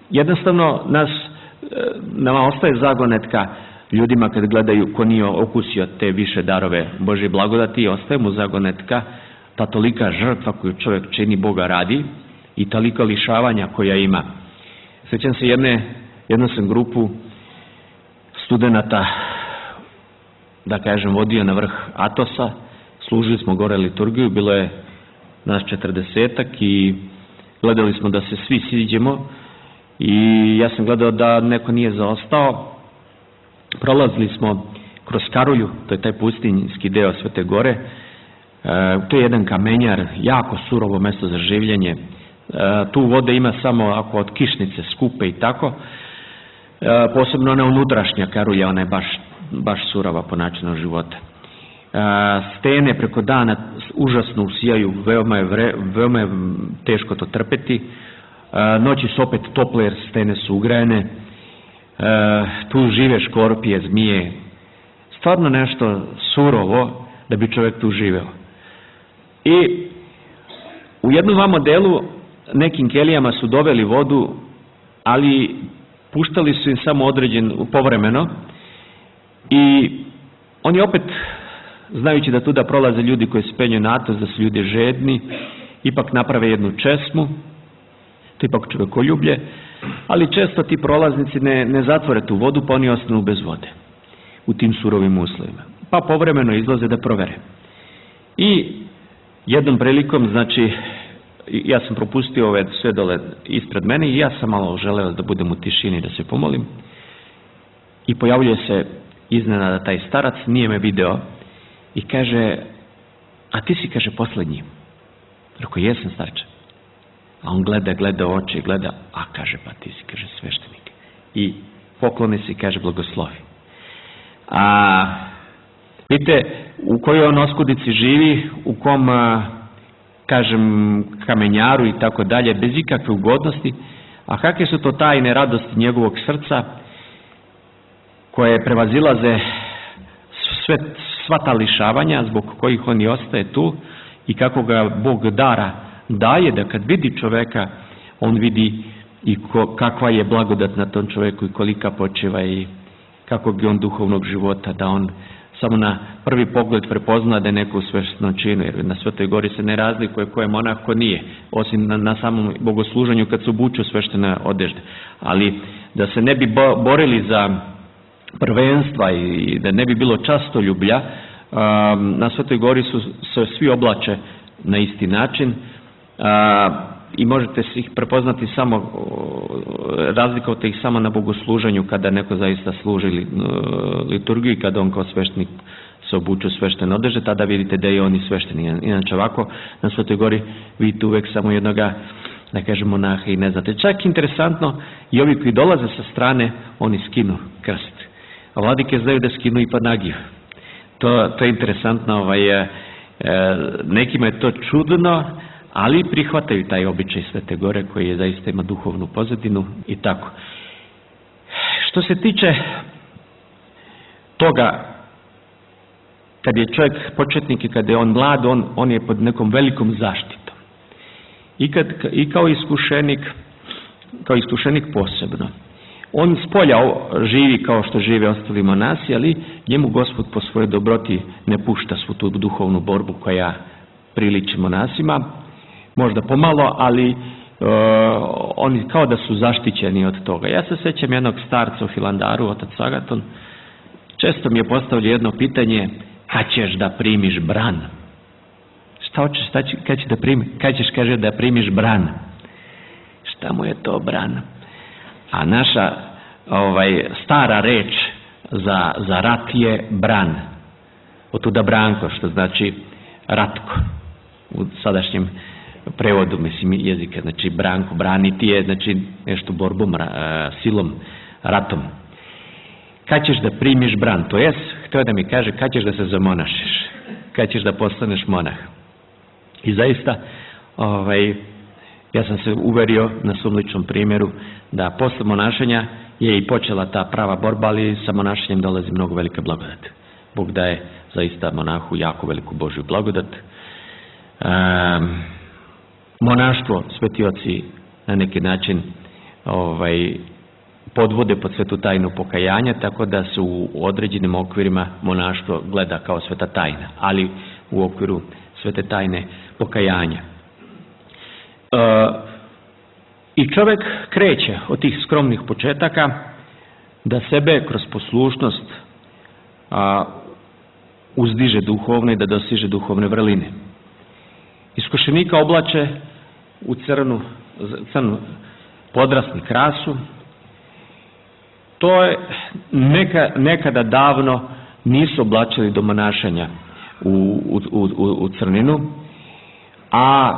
Jednostavno nama ostaje zagonetka ljudima kad gledaju ko nije okusio te više darove Božje blagodati, ostaje mu zagonetka ta tolika žrtva koju čovjek čini Boga radi i toliko lišavanja koja ima. Sjećam se jednu sam grupu studenata, da kažem, vodio na vrh Atosa, služili smo gore liturgiju, bilo je nas 40-ak i gledali smo da se svi siđemo i ja sam gledao da neko nije zaostao. Prolazili smo kroz Karulju, to je taj pustinjski deo Svete Gore, to je jedan kamenjar, jako surovo mjesto za življenje, tu vode ima samo ako od kišnice skupe i tako, posebno ona unutrašnja Karulja, ona je baš surova po načinu života. Stene preko dana užasno usijaju, veoma je teško to trpeti, noći su opet tople jer stene su ugrajene, tu žive škorpije, zmije, stvarno nešto surovo da bi čovjek tu živeo. I u jednom dva modelu nekim kelijama su doveli vodu, ali puštali su im samo povremeno I oni opet, znajući da tuda prolaze ljudi koji se penju na to, da su ljudi žedni, ipak naprave jednu česmu, to ipak čovjekoljublje, ali često ti prolaznici ne zatvore tu vodu, pa oni ostanu bez vode u tim surovim uslovima. Pa povremeno izlaze da provere. I jednom prilikom, znači, ja sam propustio ove sve dole ispred mene i ja sam malo želeo da budem u tišini, da se pomolim. I pojavljuje se iznenada taj starac, nije me video i kaže, a ti si, kaže, posljednji. Rekao, jesam, starče. A on gleda u oči, gleda, a kaže, pa ti si, kaže, sveštenik. I pokloni se i kaže, blagoslovi. A vidite, u kojoj on oskudici živi, u kom, kažem, kamenjaru i tako dalje, bez ikakve ugodnosti, a kakve su to tajne radosti njegovog srca, koje prevazilaze sva ta lišavanja zbog kojih on i ostaje tu i kako ga Bog dara daje, da kad vidi čoveka, on vidi i kakva je blagodat na tom čoveku i kolika počeva i kakvog je on duhovnog života, da on samo na prvi pogled prepozna da je neko u sveštenom činu, jer na Svetoj gori se ne razlikuje ko je monah, ko nije, osim na samom bogosluženju kad se obuču sveštene odežde. Ali da se ne bi borili za prvenstva i da ne bi bilo častoljublja, na Svetoj gori se svi oblače na isti način i možete se ih prepoznati samo, razlikovati ih samo na bogosluženju kada neko zaista služi liturgiju i kada on kao sveštenik se obuče u sveštene odeže, tada vidite da je on i sveštenik. Inače ovako, na Svetoj gori vidite uvek samo jednoga, da kažemo, monaha i ne znate. Čak interesantno, i ovi koji dolaze sa strane, oni skinu krst. A vladike znaju da skinu i panagiju. To je interesantno, nekima je to čudno, ali prihvataju taj običaj Svete gore koji je zaista ima duhovnu pozadinu i tako. Što se tiče toga, kad je čovjek početnik i kad je on mlad, on je pod nekom velikom zaštitom. I kao iskušenik posebno. On spolja živi kao što žive ostali monasi, ali njemu Gospod po svojoj dobroti ne pušta svu tu duhovnu borbu koja priliči monasima. Možda pomalo, ali oni kao da su zaštićeni od toga. Ja se sjećam jednog starca u Hilandaru, otac Agaton, često mi je postavljao jedno pitanje, kad ćeš da primiš bran? Šta hoćeš, kad ćeš, kaže, da primiš bran? Šta mu je to bran? A naša stara reč za rat je bran. Od tuda branko, što znači ratko. U sadašnjem prevodu, mislim, jezika, znači branko, braniti je, znači nešto borbom, silom, ratom. Kad ćeš da primiš bran? To jest, htio da mi kaže, kad ćeš da se zamonašiš? Kad ćeš da postaneš monah? I zaista, ja sam se uverio na svom ličnom primjeru da posle monašenja je i počela ta prava borba, ali sa monašenjem dolazi mnogo velika blagodat. Bog daje zaista monahu jako veliku Božju blagodat. Monaštvo, sveti oci na neki način podvode pod svetu tajnu pokajanja, tako da se u određenim okvirima monaštvo gleda kao sveta tajna, ali u okviru svete tajne pokajanja. I čovjek kreće od tih skromnih početaka da sebe kroz poslušnost uzdiže duhovno i da dosiže duhovne vrline. Iskušenika oblače u crnu podrasni krasu. To je nekada davno nisu oblačili do monašanja u crninu, a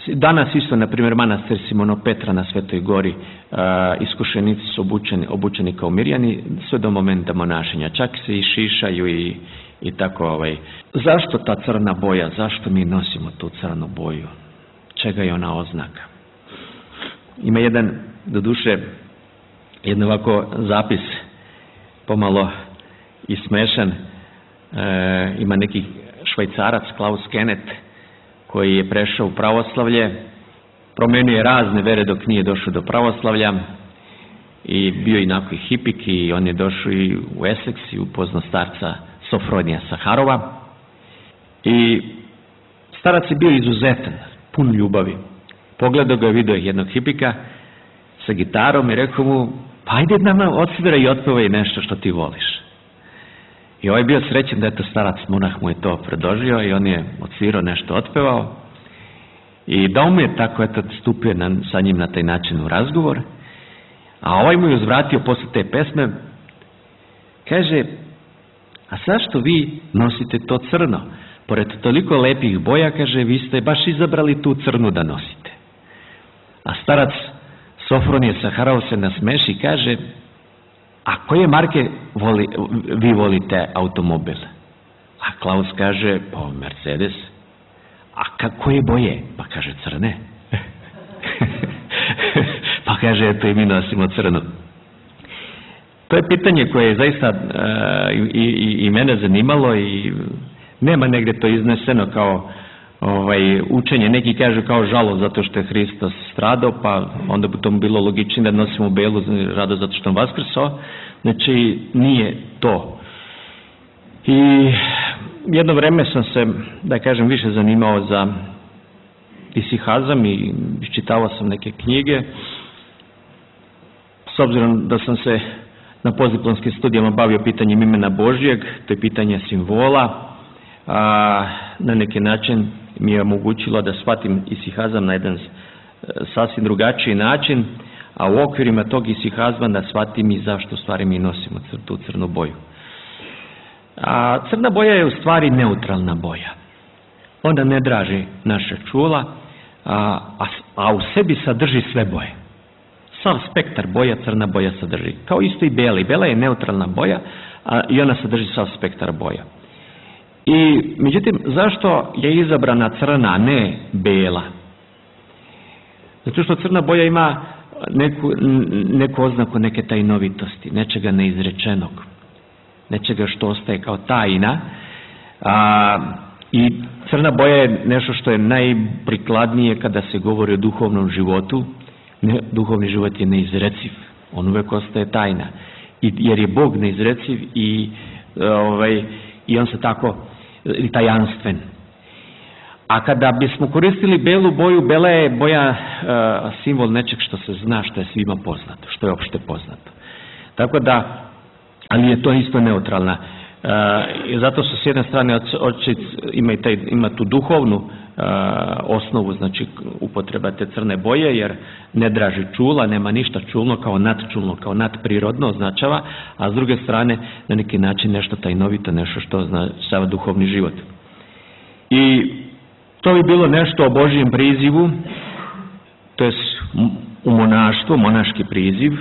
danas isto, na primjer, manastir Simono Petra na Svetoj gori, iskušenici su obučeni kao mirjani sve do momenta monašenja, čak se i šišaju i tako. Zašto ta crna boja? Zašto mi nosimo tu crnu boju? Čega je ona oznaka? Ima doduše, jedan ovako zapis, pomalo i smešan. Ima neki Švajcarac, Klaus Kennet, koji je prešao u pravoslavlje, promenio je razne vere dok nije došao do pravoslavlja i bio inako i hipik i on je došao i u Essex i upoznao starca Sofronija Saharova i starac je bio izuzetan, pun ljubavi. Pogledao ga, vidio jednog hipika sa gitarom i rekao mu, pa ajde nama odsvira i otpevaj nešto što ti voliš. I ovaj je bio srećen da je to starac monah mu je to predložio i on je odsvirao nešto, otpevao i da mu je tako stupio sa njim na taj način u razgovor, a ovaj mu je uzvratio posle te pesme, kaže, a zašto vi nosite to crno? Pored toliko lepih boja, kaže, vi ste baš izabrali tu crnu da nosite. A starac Sofronije Saharov se nasmeši i kaže, a koje marke vi volite automobil? A Klaus kaže, pa Mercedes. A koje boje? Pa kaže, crne. Pa kaže, eto i mi nosimo crnu. To je pitanje koje je zaista i mene zanimalo i nema negdje to izneseno kao učenje. Neki kažu kao žalost zato što je Hristos stradao, pa onda bi to bilo logičnije da nosimo belu rado zato što on vaskrsao. Znači, nije to. I jedno vreme sam se, da kažem, više zanimao za isihazam i iščitavao sam neke knjige. S obzirom da sam se na postdiplomskim studijama bavio pitanjem imena Božjeg, to je pitanje simbola, na neki način mi je omogućilo da shvatim isihazam na jedan sasvim drugačiji način, a u okvirima tog isihazma da shvatim i zašto u stvari mi nosimo tu crnu boju. Crna boja je u stvari neutralna boja. Ona ne draži naše čula, a u sebi sadrži sve boje. Sav spektar boja crna boja sadrži. Kao isto i bela. I bela je neutralna boja i ona sadrži sav spektar boja. I međutim, zašto je izabrana crna, a ne bela? Zato što crna boja ima neku oznaku neke tajnovitosti, nečega neizrečenog, nečega što ostaje kao tajna. I crna boja je nešto što je najprikladnije kada se govori o duhovnom životu. Duhovni život je neizreciv, on uvek ostaje tajna, jer je Bog neizreciv i on se tako tajanstven. A kada bismo koristili belu boju, bela je boja simbol nečeg što se zna, što je svima poznato, što je opšte poznato. Tako da, ali je to isto neutralna. I zato su s jedne strane ima tu duhovnu osnovu, znači upotreba te crne boje, jer ne draži čula, nema ništa čulno kao nadčulno, kao nadprirodno označava, a s druge strane na neki način nešto tajnovito, nešto što označava duhovni život. I to bi bilo nešto o Božjem prizivu, to je u monaštvu, monaški priziv.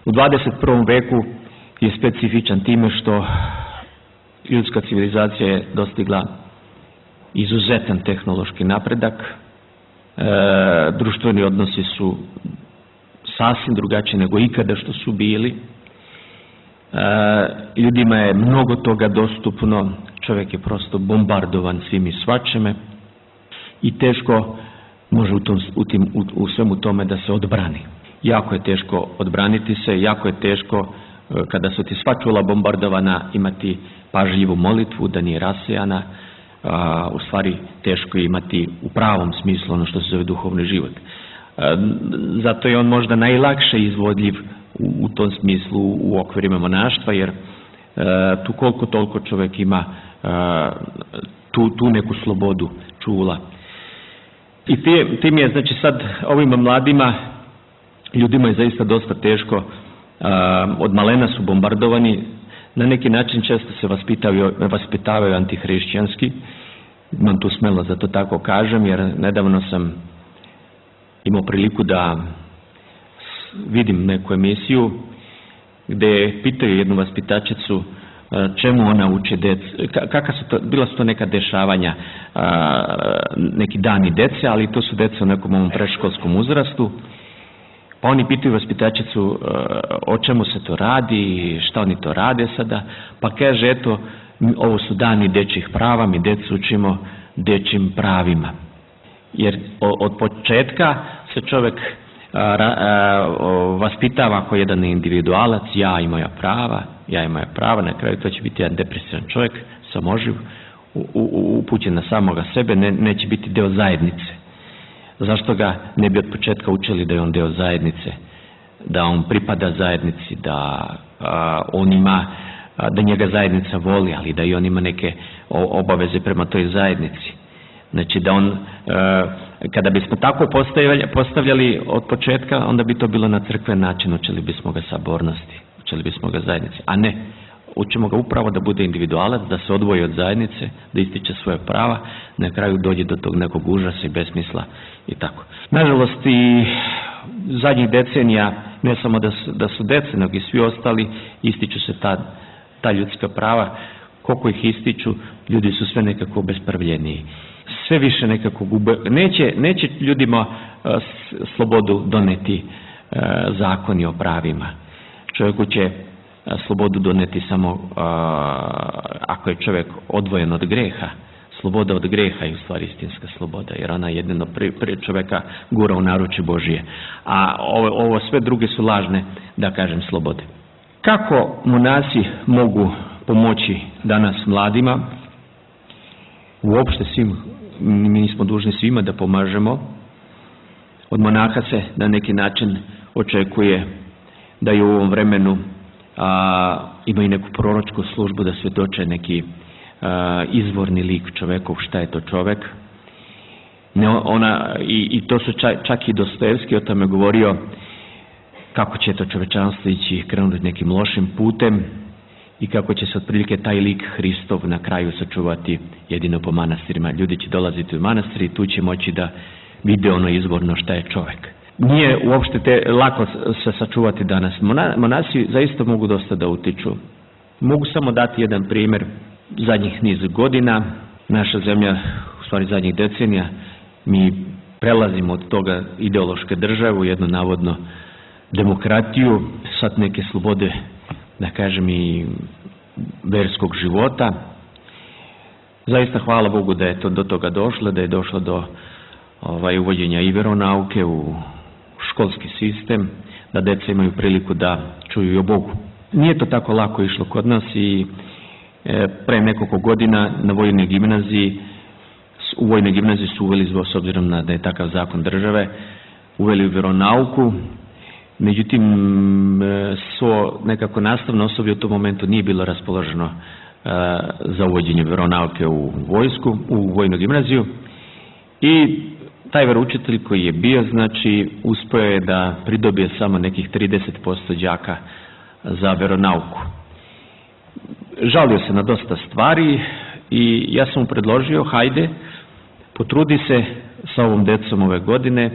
U 21. veku je specifičan time što ljudska civilizacija je dostigla izuzetan tehnološki napredak, društveni odnosi su sasvim drugačiji nego ikada što su bili, ljudima je mnogo toga dostupno, čovjek je prosto bombardovan svim i svačime i teško može u svemu tome da se odbrani. Jako je teško odbraniti se, jako je teško kada su ti sva čula bombardovana imati pažljivu molitvu, da nije rasejana, u stvari teško je imati u pravom smislu ono što se zove duhovni život. Zato je on možda najlakše izvodljiv u tom smislu u okvirima monaštva, jer tu koliko toliko čovjek ima tu neku slobodu čula. I tim je, znači sad ovim mladima ljudima je zaista dosta teško, od malena su bombardovani, na neki način često se vaspitavaju antihrišćanski, imam tu smelost da to tako kažem, jer nedavno sam imao priliku da vidim neku emisiju gde pitaju jednu vaspitačicu čemu ona uče djecu, bila su to neka dešavanja, neki dani dece, ali to su deca u nekom ovom predškolskom uzrastu. Pa oni pitaju vaspitačicu o čemu se to radi, šta oni to rade sada, pa kaže eto, ovo su dani dečjih prava, mi decu učimo dečjim pravima. Jer od početka se čovjek vaspitava kao jedan individualac, ja i moja prava, na kraju to će biti jedan depresivan čovjek, samoživ, upućen na samoga sebe, neće biti deo zajednice. Zašto ga ne bi od početka učili da je on deo zajednice, da on pripada zajednici, da on ima, da njega zajednica voli, ali da i on ima neke obaveze prema toj zajednici. Znači da on, kada bismo tako postavljali od početka, onda bi to bilo na crkven način, učili bismo ga sabornosti, učili bismo ga zajednici, a ne, učimo ga upravo da bude individualac, da se odvoji od zajednice, da ističe svoje prava, na kraju dođe do tog nekog užasa i besmisla i tako. Nažalost i zadnjih decenija, ne samo da su dece, nego i svi ostali, ističu se ta ljudska prava. Koliko ih ističu, ljudi su sve nekako obespravljeniji. Sve više nekako gube. Neće ljudima slobodu doneti zakoni o pravima. Čovjeku će slobodu doneti samo ako je čovjek odvojen od greha. Sloboda od greha je u stvari istinska sloboda, jer ona jedino prije čovjeka gura u naručje Božije. A ovo sve druge su lažne, da kažem, slobode. Kako monasi mogu pomoći danas mladima? Uopšte svim, mi smo dužni svima da pomažemo. Od monaha se na neki način očekuje da je u ovom vremenu imaju neku proročku službu, da svjedoče neki izvorni lik čovekov, šta je to čovek. I to su čak i Dostojevski o tome govorio, kako će to čovečanstvo ići, krenuti nekim lošim putem i kako će se otprilike taj lik Hristov na kraju sačuvati jedino po manastirima. Ljudi će dolaziti u manastir i tu će moći da vide ono izvorno šta je čovek. Nije uopšte lako se sačuvati danas. Monasi zaista mogu dosta da utiču. Mogu samo dati jedan primjer. Zadnjih niz godina, naša zemlja, u stvari zadnjih decenija, mi prelazimo od toga ideološke države u jednu navodno demokratiju, sad neke slobode, da kažem, i verskog života. Zaista hvala Bogu da je to do toga došlo, da je došlo do uvođenja i veronauke u školski sistem, da deca imaju priliku da čuju i o Bogu. Nije to tako lako išlo kod nas i pre nekoliko godina u vojnoj gimnaziji su uveli, s obzirom da je takav zakon države, uveli veronauku. Međutim, nekako nastavno osoblje u tom momentu nije bilo raspoloženo za uvođenje veronauke u vojsku, u vojnu gimnaziju, i taj veroučitelj koji je bio, znači, uspio je da pridobije samo nekih 30% đaka za veronauku. Žalio se na dosta stvari i ja sam mu predložio, hajde, potrudi se sa ovom decom ove godine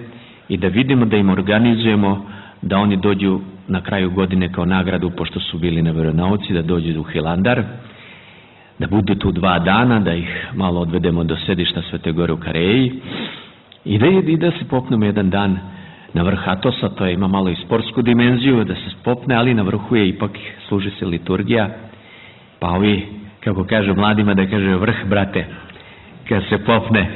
i da vidimo, da im organizujemo da oni dođu na kraju godine kao nagradu, pošto su bili na veronauci, da dođu u Hilandar, da budu tu 2 dana, da ih malo odvedemo do sedišta Svete Gore u Kareji i da se popnemo jedan dan na vrh Atosa. To ima malo i sportsku dimenziju, da se popne, ali na vrhu je ipak, služi se liturgija, pa ovi, kako kažu mladima, da kaže vrh, brate, kad se popne,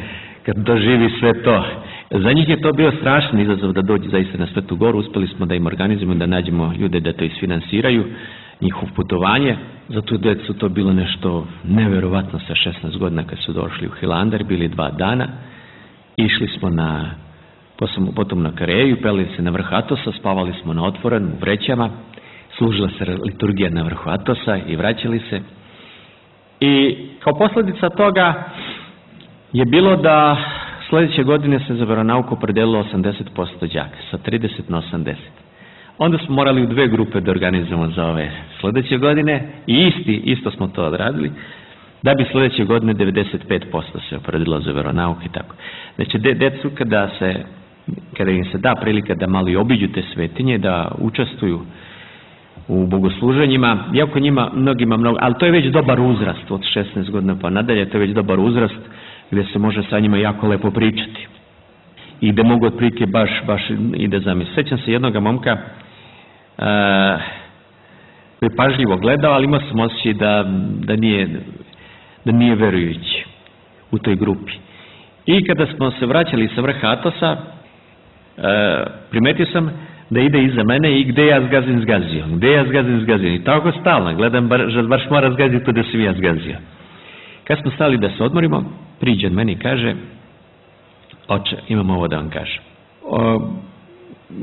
kad doživi sve to. Za njih je to bio strašan izazov da dođe zaista na Svetu Goru. Uspeli smo da im organizujemo, da nađemo ljude da to isfinansiraju, njihov putovanje. Za tu decu to bilo nešto neverovatno sa 16 godina kad su došli u Hilandar, bili 2 dana. Išli smo potom na Kareju, peli se na vrh Atosa, spavali smo na otvorenom u vrećama, služila se liturgija na vrhu Atosa i vraćali se. I kao posljedica toga je bilo da sljedeće godine se za veronauku opredelilo 80% đaka, sa 30 na 80. Onda smo morali u 2 grupe da organizujemo za ove sljedeće godine i isto smo to odradili, da bi sljedeće godine 95% se opredelilo za veronauku i tako. Znači, decu kada im se da prilika da malo i obiđu te svetinje, da učestvuju u bogosluženjima, iako njima mnogima ali to je već dobar uzrast, od 16 godina pa nadalje, to je već dobar uzrast gdje se može sa njima jako lepo pričati i gdje mogu otprilike baš i da zamisli. Sjećam se jednoga momka koji je pažljivo gledao, ali imao sam osjećaj da nije verujući u toj grupi. I kada smo se vraćali sa vrha Atosa, primetio sam da ide iza mene i gde ja zgazim. I tako stalno, gledam, baš mora zgaziti da sam ja zgazio. Kad smo stali da se odmorimo, priđe meni i kaže, oče, imam ovo da vam kažem.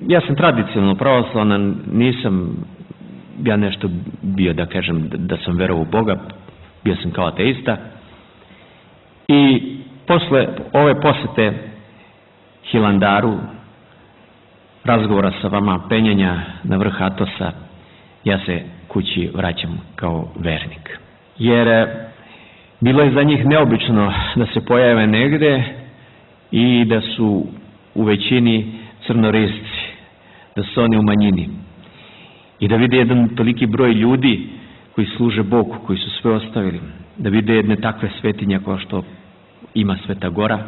Ja sam tradicionalno pravoslavan, nisam ja nešto bio da kažem da sam verovao u Boga, bio sam kao ateista. I posle ove posete Hilandaru, razgovora sa vama, penjanja na vrh Atosa, ja se kući vraćam kao vernik. Jer bilo je za njih neobično da se pojave negde i da su u većini crnorisci, da su oni u manjini. I da vide jedan toliki broj ljudi koji služe Bogu, koji su sve ostavili, da vide jedne takve svetinje kao što ima Sveta Gora.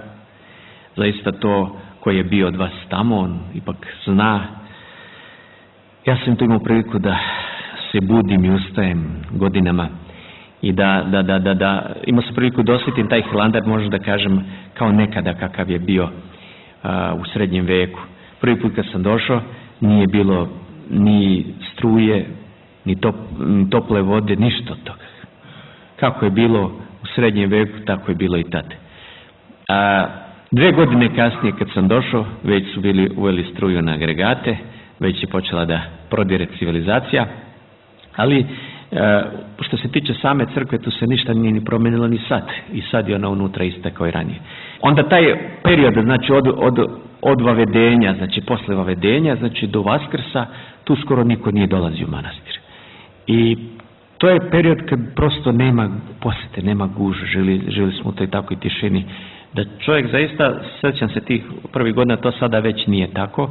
Zaista to koji je bio od vas tamo, on ipak zna. Ja sam to imao priliku da se budim i ustajem godinama i da imao sam priliku da osjetim taj Hilandar, možda da kažem, kao nekada kakav je bio u srednjem veku. Prvi put kad sam došao, nije bilo ni struje, ni tople vode, ništa od toga. Kako je bilo u srednjem veku, tako je bilo i tad. 2 godine kasnije kad sam došao, već su bili uveli struju na agregate, već je počela da prodire civilizacija, ali što se tiče same crkve, tu se ništa nije ni promenilo ni sad. I sad je ona unutra ista kao i ranije. Onda taj period, znači od vavedenja, znači posle vavedenja, znači do Vaskrsa, tu skoro niko nije dolazio u manastir. I to je period kad prosto nema posete, nema gužve, žili smo u toj takvoj tišini, da čovjek zaista, sjećam se tih prvih godina, to sada već nije tako,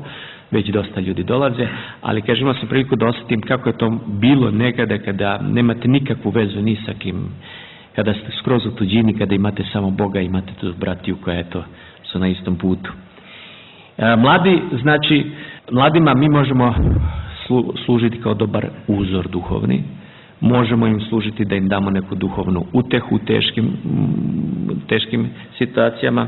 već dosta ljudi dolaze, ali kažem, imao sam priliku da osjetim kako je to bilo nekada kada nemate nikakvu vezu ni sa kim, kada ste skroz u tuđini, kada imate samo Boga, imate tu bratiju koja su na istom putu. Mladi, znači, mladima mi možemo služiti kao dobar uzor duhovni, možemo im služiti da im damo neku duhovnu utehu u teškim situacijama,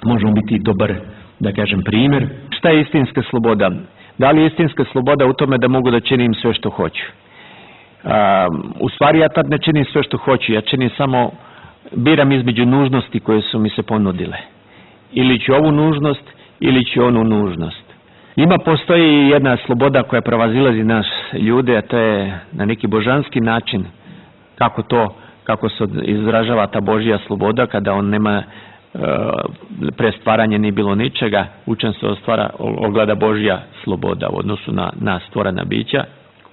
možemo biti dobar, da kažem, primjer. Šta je istinska sloboda? Da li je istinska sloboda u tome da mogu da činim sve što hoću? U stvari ja tad ne činim sve što hoću, ja činim samo, biram između nužnosti koje su mi se ponudile. Ili ću ovu nužnost, ili ću onu nužnost. Postoji jedna sloboda koja prevazilazi nas ljude, a to je na neki božanski način, kako se izražava ta Božja sloboda, kada on nema pre stvaranja nije bilo ničega, učen se ogleda Božja sloboda u odnosu na stvorena bića,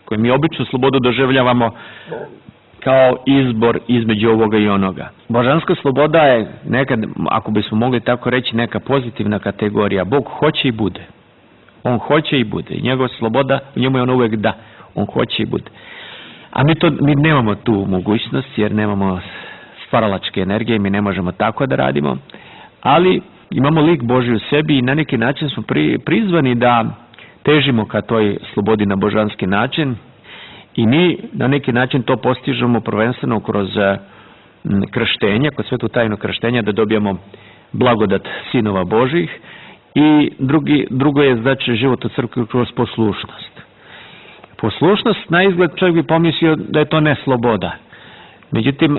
koje mi običnu slobodu doživljavamo kao izbor između ovoga i onoga. Božanska sloboda je nekad, ako bismo mogli tako reći, neka pozitivna kategorija. Bog hoće i bude. On hoće i bude. I njegova sloboda, u njemu je on uvek da. On hoće i bude. A mi nemamo tu mogućnost, jer nemamo stvaralačke energije, mi ne možemo tako da radimo, ali imamo lik Božji u sebi i na neki način smo prizvani da težimo ka toj slobodi na božanski način i mi na neki način to postižemo prvenstveno kroz krštenje, kroz svetu tajnu krštenja, da dobijemo blagodat sinova Božjih, i drugo je znači život u crkvi kroz poslušnost. Poslušnost, na izgled čovjek bi pomislio da je to ne sloboda. Međutim,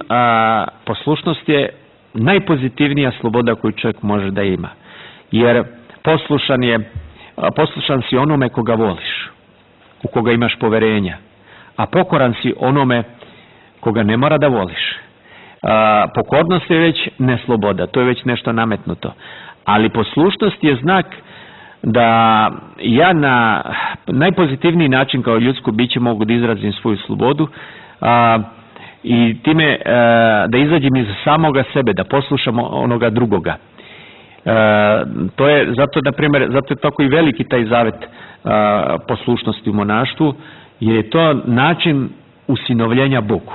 poslušnost je najpozitivnija sloboda koju čovjek može da ima. Jer poslušan si onome koga voliš, u koga imaš poverenja, a pokoran si onome koga ne mora da voliš. Pokornost je već ne sloboda, to je već nešto nametnuto. Ali poslušnost je znak da ja na najpozitivniji način kao ljudsko biće mogu da izrazim svoju slobodu i time da izađem iz samoga sebe, da poslušam onoga drugoga. To je zato je tako i veliki taj zavet poslušnosti u monaštvu, jer je to način usinovljenja Bogu.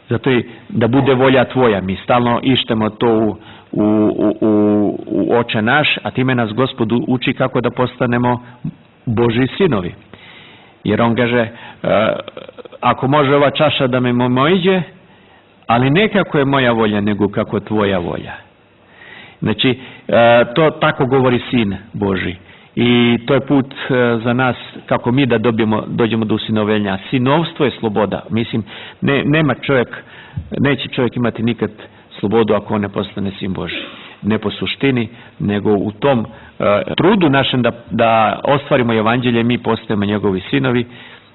Zato je da bude volja tvoja. Mi stalno ištemo to u Oče naš, a time nas Gospod uči kako da postanemo Božji sinovi. Jer on kaže, ako može ova čaša da me mojiđe, ali ne kako je moja volja, nego kako tvoja volja. Znači, to tako govori Sin Božji. I to je put za nas kako mi da dođemo do usinovljenja. Sinovstvo je sloboda. Mislim, neće čovjek imati nikad slobodu ako on ne postane sin Božji. Ne po suštini, nego u tom trudu našem da ostvarimo evanđelje, mi postajemo njegovi sinovi,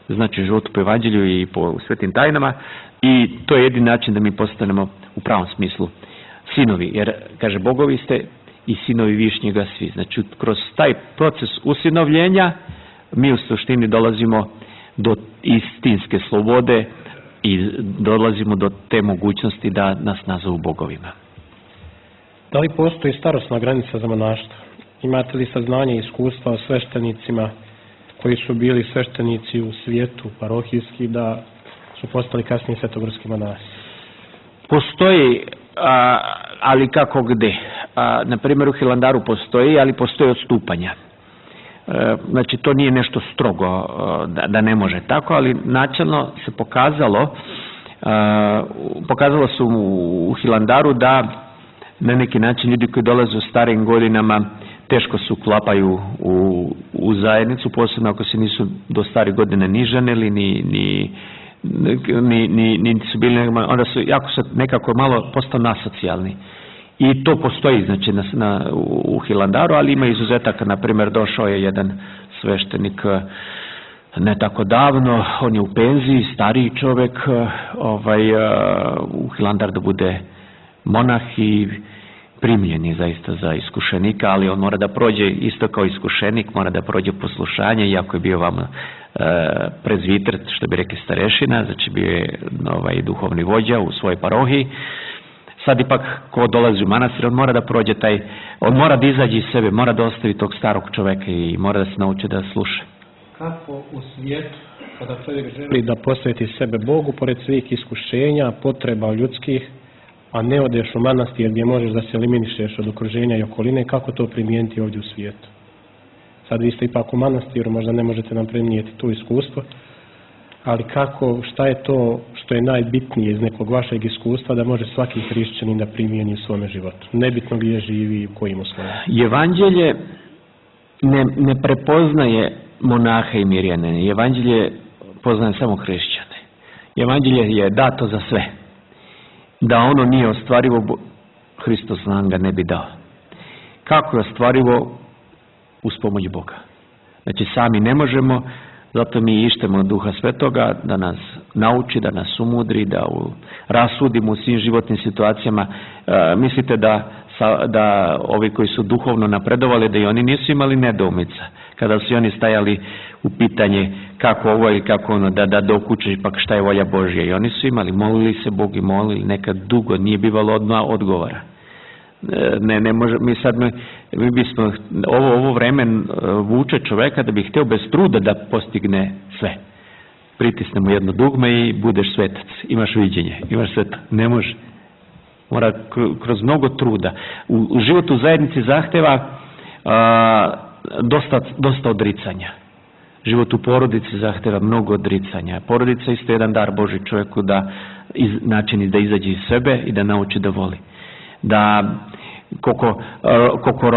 znači život po evanđelju i po svetim tajnama, i to je jedini način da mi postanemo u pravom smislu sinovi. Jer, kaže, bogovi ste i sinovi višnjega svi. Znači, kroz taj proces usinovljenja mi u suštini dolazimo do istinske slobode i dolazimo do te mogućnosti da nas nazovu bogovima. Da li postoji starosna granica za monaštvo? Imate li saznanje i iskustva o sveštenicima koji su bili sveštenici u svijetu parohijski da su postali kasnije svetogorski monasi? Postoji, ali kako gde? Na primjer u Hilandaru postoji, ali postoji odstupanja. Znači to nije nešto strogo da ne može tako, ali načelno se pokazalo se u Hilandaru da na neki način ljudi koji dolaze u starijim godinama teško se uklapaju u zajednicu, posebno ako se nisu do starih godina ni ženili, ni su bili, onda su jako se nekako malo postao nasocijalni. I to postoji, znači, u Hilandaru, ali ima izuzetaka. Na primjer, došao je jedan sveštenik ne tako davno, on je u penziji, stariji čovjek, u Hilandar da bude monah i primljen je zaista za iskušenika, ali on mora da prođe isto kao iskušenik, mora da prođe poslušanje, iako je bio vam prezviter, što bi rekli starešina, znači bio je duhovni vođa u svojoj parohiji. Sad ipak ko dolazi u manastir, on mora da prođe on mora da izađe iz sebe, mora da ostavi tog starog čoveka i mora da se nauči da sluša. Kako u svijetu, kada čovjek želi da posveti sebe Bogu, pored svih iskušenja, potreba ljudskih, a ne odeš u manastir gdje možeš da se eliminišeš od okruženja i okoline, kako to primijeniti ovdje u svijetu? Sad vi ste ipak u manastiru, možda ne možete nam prenijeti to iskustvo, ali šta je to što je najbitnije iz nekog vašeg iskustva da može svaki hrišćanin da primijeni u svome životu? Nebitno gdje živi i u kojim uslovima. Evanđelje ne prepoznaje monaha i mirjane. Evanđelje poznaje samo hrišćane. Evanđelje je dato za sve. Da ono nije ostvarivo, Hristos nam ga ne bi dao. Kako je ostvarivo? Uz pomoć Boga. Znači sami ne možemo, zato mi ištemo Duha Svetoga da nas nauči, da nas umudri, da rasudimo u svim životnim situacijama. Mislite da ovi koji su duhovno napredovali, da i oni nisu imali nedoumica. Kada su oni stajali u pitanje kako ovo ili kako ono, da dokuče ipak šta je volja Božja. I oni su imali, molili se Bog i molili, nekad dugo, nije bivalo odmah odgovora. Ne može, mi bismo, ovo vreme vuče čoveka da bi htio bez truda da postigne sve. Pritisnemo jedno dugme i budeš svetac, imaš viđenje, imaš sveta. Ne može. Mora kroz mnogo truda. U životu u zajednici zahteva dosta odricanja. Život u porodici zahteva mnogo odricanja. Porodica isto jedan dar Božji čovjeku, način da izađe iz sebe i da nauči da voli. Da koliko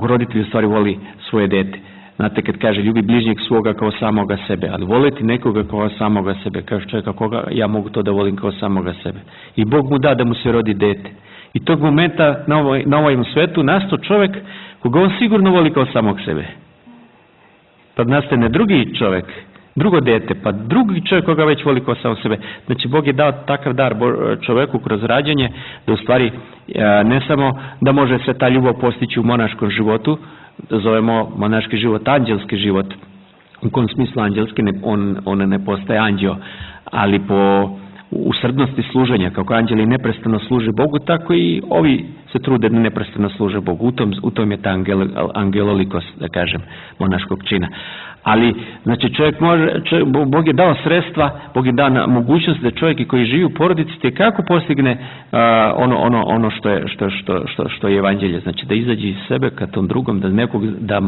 roditelj u stvari voli svoje dete. Znate, kad kaže ljubi bližnjeg svoga kao samoga sebe, ali voliti nekoga kao samoga sebe, kao čovjeka koga ja mogu to da volim kao samoga sebe. I Bog mu da mu se rodi dete. I tog momenta na ovom svetu nastao čovjek koga on sigurno voli kao samog sebe. Pa nastane drugi čovjek, drugo dete, pa drugi čovjek koga već voli kao samog sebe. Znači Bog je dao takav dar čovjeku kroz rađanje da u stvari ne samo da može se ta ljubav postići u monaškom životu, da zovemo monaški život anđelski život. U kom smislu anđelski? On ne postaje anđeo, ali po usrdnosti služenja, kako anđeli neprestano služe Bogu, tako i ovi se trude da neprestano služe Bogu. U tom je ta angelolikos, da kažem, monaškog čina. Ali, znači, Bog je dao sredstva, Bog je dao mogućnost da čovjek koji živi u porodici tekako postigne ono što je evanđelje. Znači, da izađe iz sebe ka tom drugom, da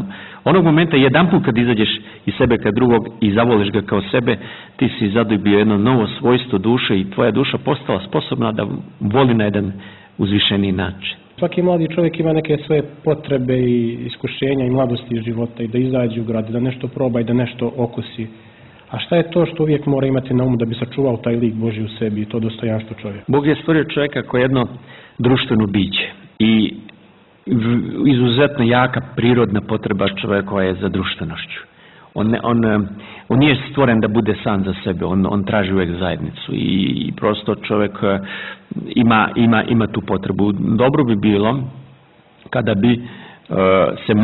onog momenta jedanput kad izađeš iz sebe ka drugog i zavoliš ga kao sebe, ti si zadobio jedno novo svojstvo duše i tvoja duša postala sposobna da voli na jedan uzvišeniji način. Svaki mladi čovjek ima neke svoje potrebe i iskušenja i mladosti života i da izađe u grad, da nešto proba i da nešto okusi. A šta je to što uvijek mora imati na umu da bi sačuvao taj lik Božji u sebi i to dostojanstvo čovjeka? Bog je stvorio čovjeka kao jedno društveno biće i izuzetno jaka prirodna potreba čovjekova je za društvenošću. On nije stvoren da bude sam za sebe, on traži uvijek zajednicu i prosto čovjek ima tu potrebu. Dobro bi bilo kada bi se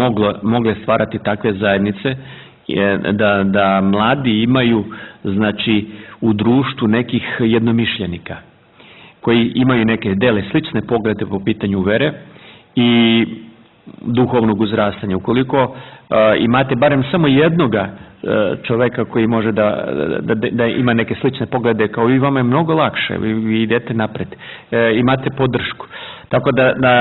mogle stvarati takve zajednice, da mladi imaju, znači, u društvu nekih jednomišljenika koji imaju neke dele slične poglede po pitanju vere i duhovnog uzrastanja. Ukoliko imate barem samo jednoga čovjeka koji može da ima neke slične poglede kao i vama, je mnogo lakše, vi idete napred, imate podršku. Tako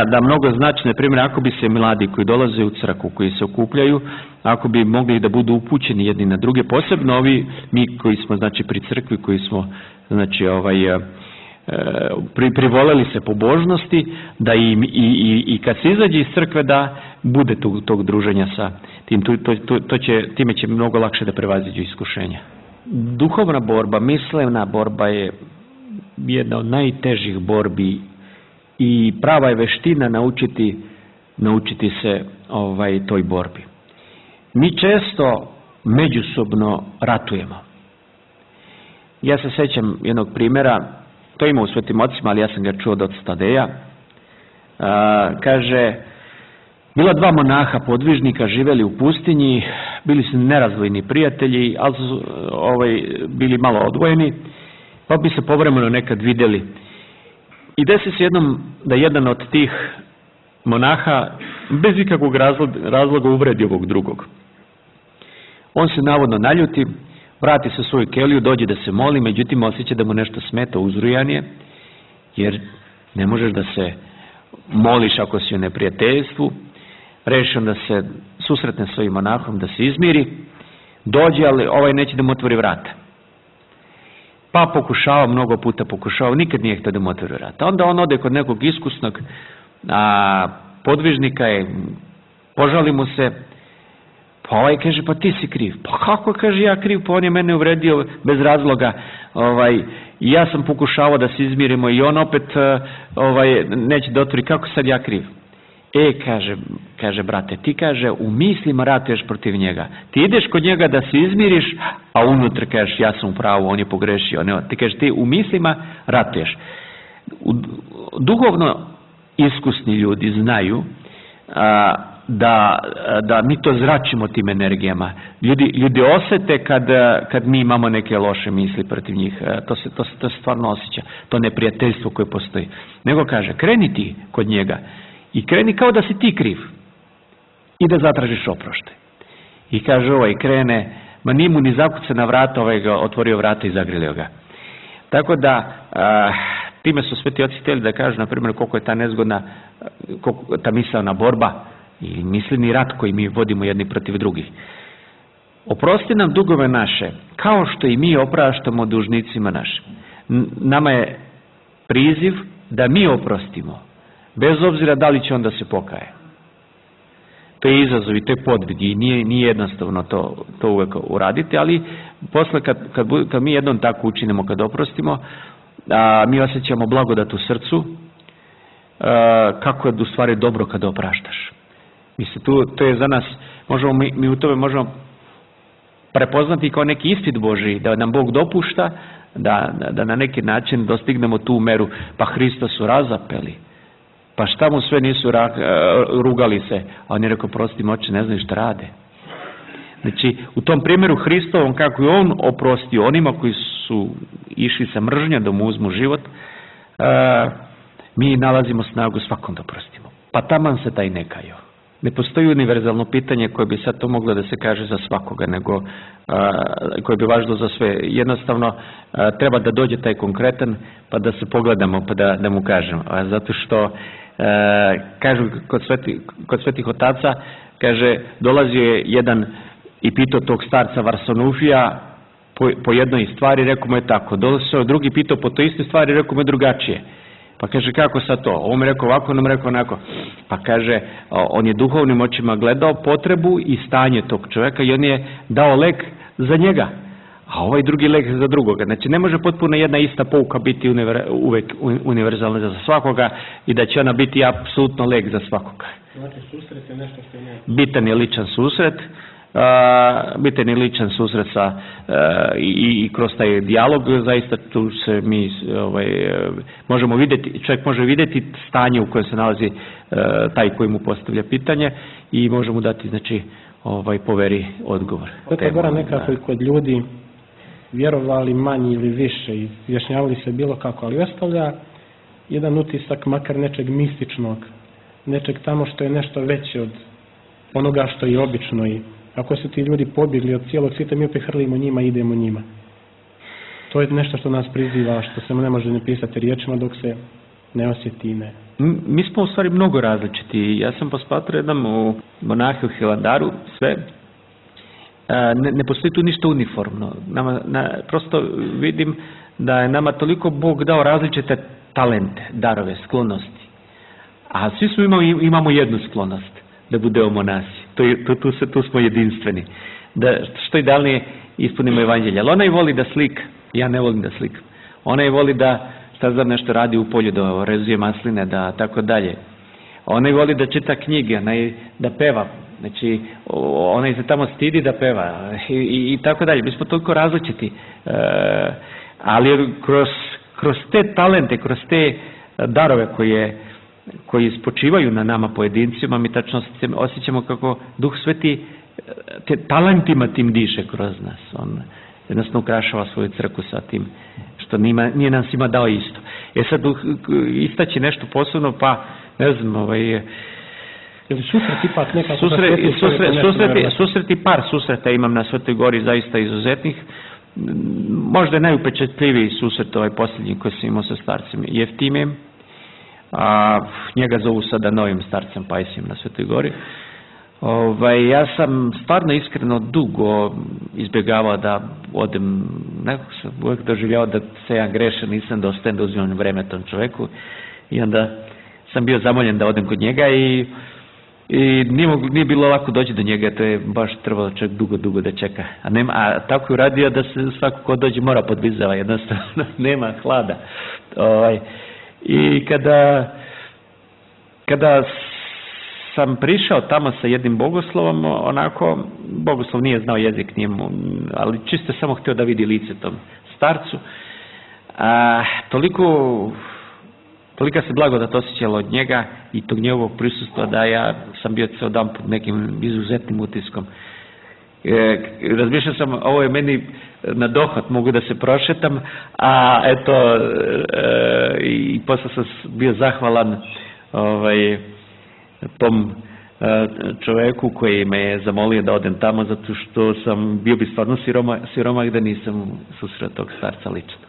da mnogo znači, na primjer, ako bi se mladi koji dolaze u crkvu, koji se okupljaju, ako bi mogli da budu upućeni jedni na druge, posebno mi koji smo, znači, pri crkvi, koji smo, znači, privoleli se pobožnosti, da i kad se izađe iz crkve da bude tog druženja sa tim, time će mnogo lakše da prevaziđu iskušenja. Duhovna borba, mislevna borba je jedna od najtežih borbi i prava je veština naučiti se toj borbi. Mi često međusobno ratujemo. Ja se sjećam jednog primjera, to ima u Svetim ocima, ali ja sam ga čuo od Tadeja. Kaže, bila dva monaha podvižnika, živjeli u pustinji, bili su nerazdvojni prijatelji, ali su bili malo odvojeni, pa bi se povremeno nekad vidjeli. I desi se jednom da jedan od tih monaha bez ikakvog razloga uvredi ovog drugog. On se navodno naljuti, vrati se u svoju keliju, dođe da se moli, međutim osjeća da mu nešto smeta, uzrujan je, jer ne možeš da se moliš ako si u neprijateljstvu. Reši on da se susretne s svojim monahom, da se izmiri, dođe, ali ovaj neće da mu otvori vrata. Pa pokušava, mnogo puta pokušava, nikad nije htio da mu otvori vrata. Onda on ode kod nekog iskusnog podvižnika, požali mu se, pa ovaj kaže, pa ti si kriv. Pa kako, kaže, ja kriv, pa on je mene uvredio bez razloga, i ja sam pokušavao da se izmirimo i on opet neće da otvori, kako sad ja kriv? Kaže, brate, ti, kaže, u mislima ratuješ protiv njega. Ti ideš kod njega da se izmiriš, a unutra kažeš, ja sam u pravu, on je pogrešio. Ti kažeš, ti u mislima ratuješ. Duhovno iskusni ljudi znaju da mi to zračimo tim energijama. Ljudi osete kad mi imamo neke loše misli protiv njih. To se stvarno osjeća. To neprijateljstvo koje postoji. Nego kaže, kreni ti kod njega i kreni kao da si ti kriv i da zatražiš oproštaj. I kaže, krene, ma nije mu ni zakuca na vrata, ga otvorio vrata i zagrilio ga. Tako da time su Sveti oci htjeli da kažu, na primjer, koliko je ta nezgodna, ta misaona borba i misleni rat koji mi vodimo jedni protiv drugih. Oprosti nam dugove naše, kao što i mi opraštamo dužnicima našim. Nama je priziv da mi oprostimo, bez obzira da li će on da se pokaje. To je izazov i to je podvig i nije jednostavno to uvek uraditi, ali posle kad mi jednom tako učinimo, kad oprostimo, mi osjećamo blagodat u srcu, kako je u stvari dobro kad opraštaš. Mislim, to je za nas, mi u tome možemo prepoznati kao neki ispit Božji, da nam Bog dopušta da na neki način dostignemo tu meru, pa Hrista su razapeli, pa šta mu sve nisu rugali se, a on je rekao, prosti mi oče, ne znaju šta rade. Znači, u tom primjeru Hristovom, kako je on oprostio onima koji su išli sa mržnjom da mu uzmu život, mi nalazimo snagu svakom da oprostimo. Pa taman se taj ne kajao. Ne postoji univerzalno pitanje koje bi sad to moglo da se kaže za svakoga, nego koje bi važilo za sve. Jednostavno, treba da dođe taj konkretan, pa da se pogledamo, pa da mu kažemo. Zato što, kažu kod svetih otaca, kaže, dolazio je jedan i pitao tog starca Varsanufija po jednoj stvari, rekao mu je tako. Dolazio drugi pitao po toj istoj stvari, rekao mu je drugačije. Pa kaže, kako sad to? Ovo mi rekao ovako, ono mi rekao onako. Pa kaže, on je duhovnim očima gledao potrebu i stanje tog čovjeka i on je dao lek za njega, a ovaj drugi lek za drugoga. Znači, ne može potpuno jedna ista pouka biti uvek univerzalna za svakoga i da će ona biti apsolutno lek za svakoga. Znači, susret je nešto što je bitan je ličan susret, i kroz taj dijalog zaista tu se mi možemo vidjeti, čovjek može vidjeti stanje u kojem se nalazi taj koji mu postavlja pitanje i možemo dati, znači, poveri odgovor. To je gore nekako i kod ljudi vjerovali manji ili više i izjašnjavali se bilo kako, ali ostavlja jedan utisak makar nečeg mističnog, nečeg tamo što je nešto veće od onoga što je obično i ako su ti ljudi pobjegli od cijelog svijeta, mi opet hrlimo njima i idemo njima. To je nešto što nas priziva, što se ne može ne pisati riječima dok se ne osjeti ne. Mi smo u stvari mnogo različiti. Ja sam posmatrao jednom u monahe u Hilandaru, sve. Ne postoji tu ništa uniformno. Prosto vidim da je nama toliko Bog dao različite talente, darove, sklonosti. A svi imamo jednu sklonost, da budemo monasi. Tu smo jedinstveni. Da što idealnije ispunimo evanđelje. Ali onaj voli da slika, ja ne volim da slikam. Onaj voli da nešto radi u polju, da rezuje masline, da tako dalje. Onaj voli da čita knjige, onaj da peva. Znači, onaj se tamo stidi da peva i tako dalje. Mi smo toliko različiti. Ali kroz te talente, kroz te darove koji spočivaju na nama pojedincima, mi tačno osjećamo kako Duh Sveti talentima tim diše kroz nas. On jednostavno ukrašava svoju crkvu sa tim, što nije nam svima dao isto. Sad istaći nešto posebno, pa ne znam, susreti par susreta imam na Svetoj Gori zaista izuzetnih. Možda je najupečatljiviji susret posljednji koji sam imao sa starcem Jeftimijem, a njega zovu sada novim starcem Pajsijem na Svetoj Gori. Ja sam stvarno iskreno dugo izbjegavao da odem, nekako sam uvijek doživljavao da se ja grešan, nisam dostajan da uzimam vreme tom čoveku i onda sam bio zamoljen da odem kod njega i nije bilo lako doći do njega, to je baš trebalo čak dugo da čeka. A tako je uradio da se svako ko dođe mora podvizava, jednostavno nema hlada. I kada sam prišao tamo sa jednim bogoslovom, onako, bogoslov nije znao jezik njemu, ali čisto samo htio da vidi lice tom starcu. Tolika se blagodat osjećala od njega i tog njegovog prisustva da ja sam bio ceo dan pod nekim izuzetnim utiskom. Razmišljao sam, ovo je meni na dohvat, mogu da se prošetam, a eto, i posle sam bio zahvalan tom čoveku koji me je zamolio da odem tamo, zato što sam bio bi stvarno siromah da nisam susreo tog starca lično.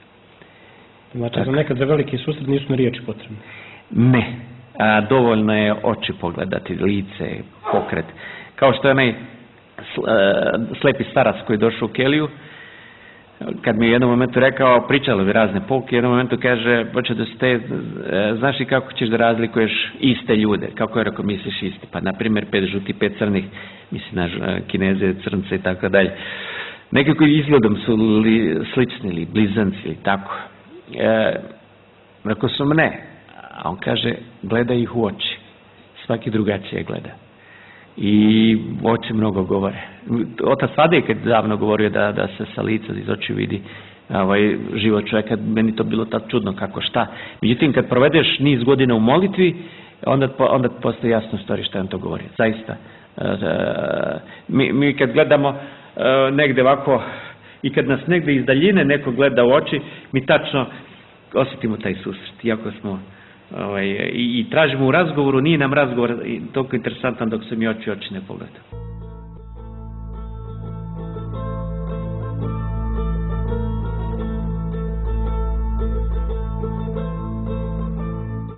Znači, za nekad za veliki susret nisu na riječi potrebne? Ne, dovoljno je oči pogledati, lice, pokret. Kao što je onaj slepi starac koji je došao u keliju, kad mi je u jednom momentu rekao, pričalo bi razne pouke, u jednom momentu kaže, znaš li kako ćeš da razlikuješ iste ljude? Kako je rekao, misliš isti? Pa, na primjer, 5 žuti, 5 crnih, misli na Kineze, crnce i tako dalje. Nekako izgledom su slični ili blizanci ili tako. Rekao sam ne, a on kaže, gledaj ih u oči, svaki drugačije gleda. I oči mnogo govore. Otac Tadej kad davno govorio da se sa lica iz oči vidi život čovjeka, meni to bilo tako čudno kako šta. Međutim, kad provedeš niz godina u molitvi, onda postoji jasno stvari šta on to govori. Zaista. Mi kad gledamo negde ovako i kad nas negde iz daljine neko gleda u oči, mi tačno osjetimo taj susret. Iako smo i tražimo u razgovoru, nije nam razgovor toliko interesantan dok se mi oči ne pogledamo.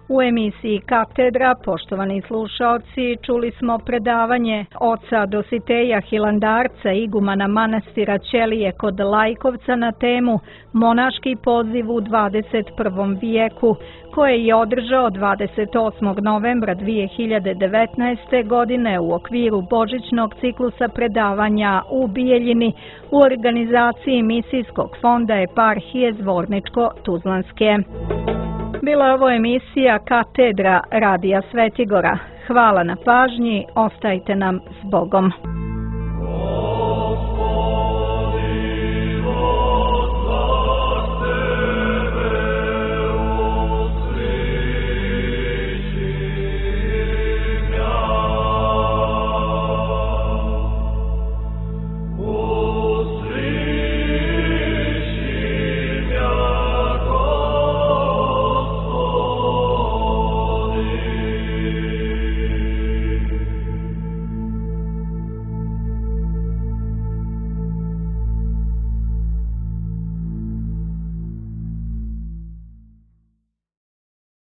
U U emisiji Katedra, poštovani slušaoci, čuli smo predavanje oca Dositeja Hilandarca, igumana manastira Ćelije kod Lajkovca na temu Monaški poziv u 21. vijeku, koje je održao 28. novembra 2019. godine u okviru božićnog ciklusa predavanja u Bijeljini u organizaciji Misijskog fonda eparhije Zvorničko-Tuzlanske. Bila je ovo emisija Katedra Radija Svetigora. Hvala na pažnji, ostajte nam s Bogom.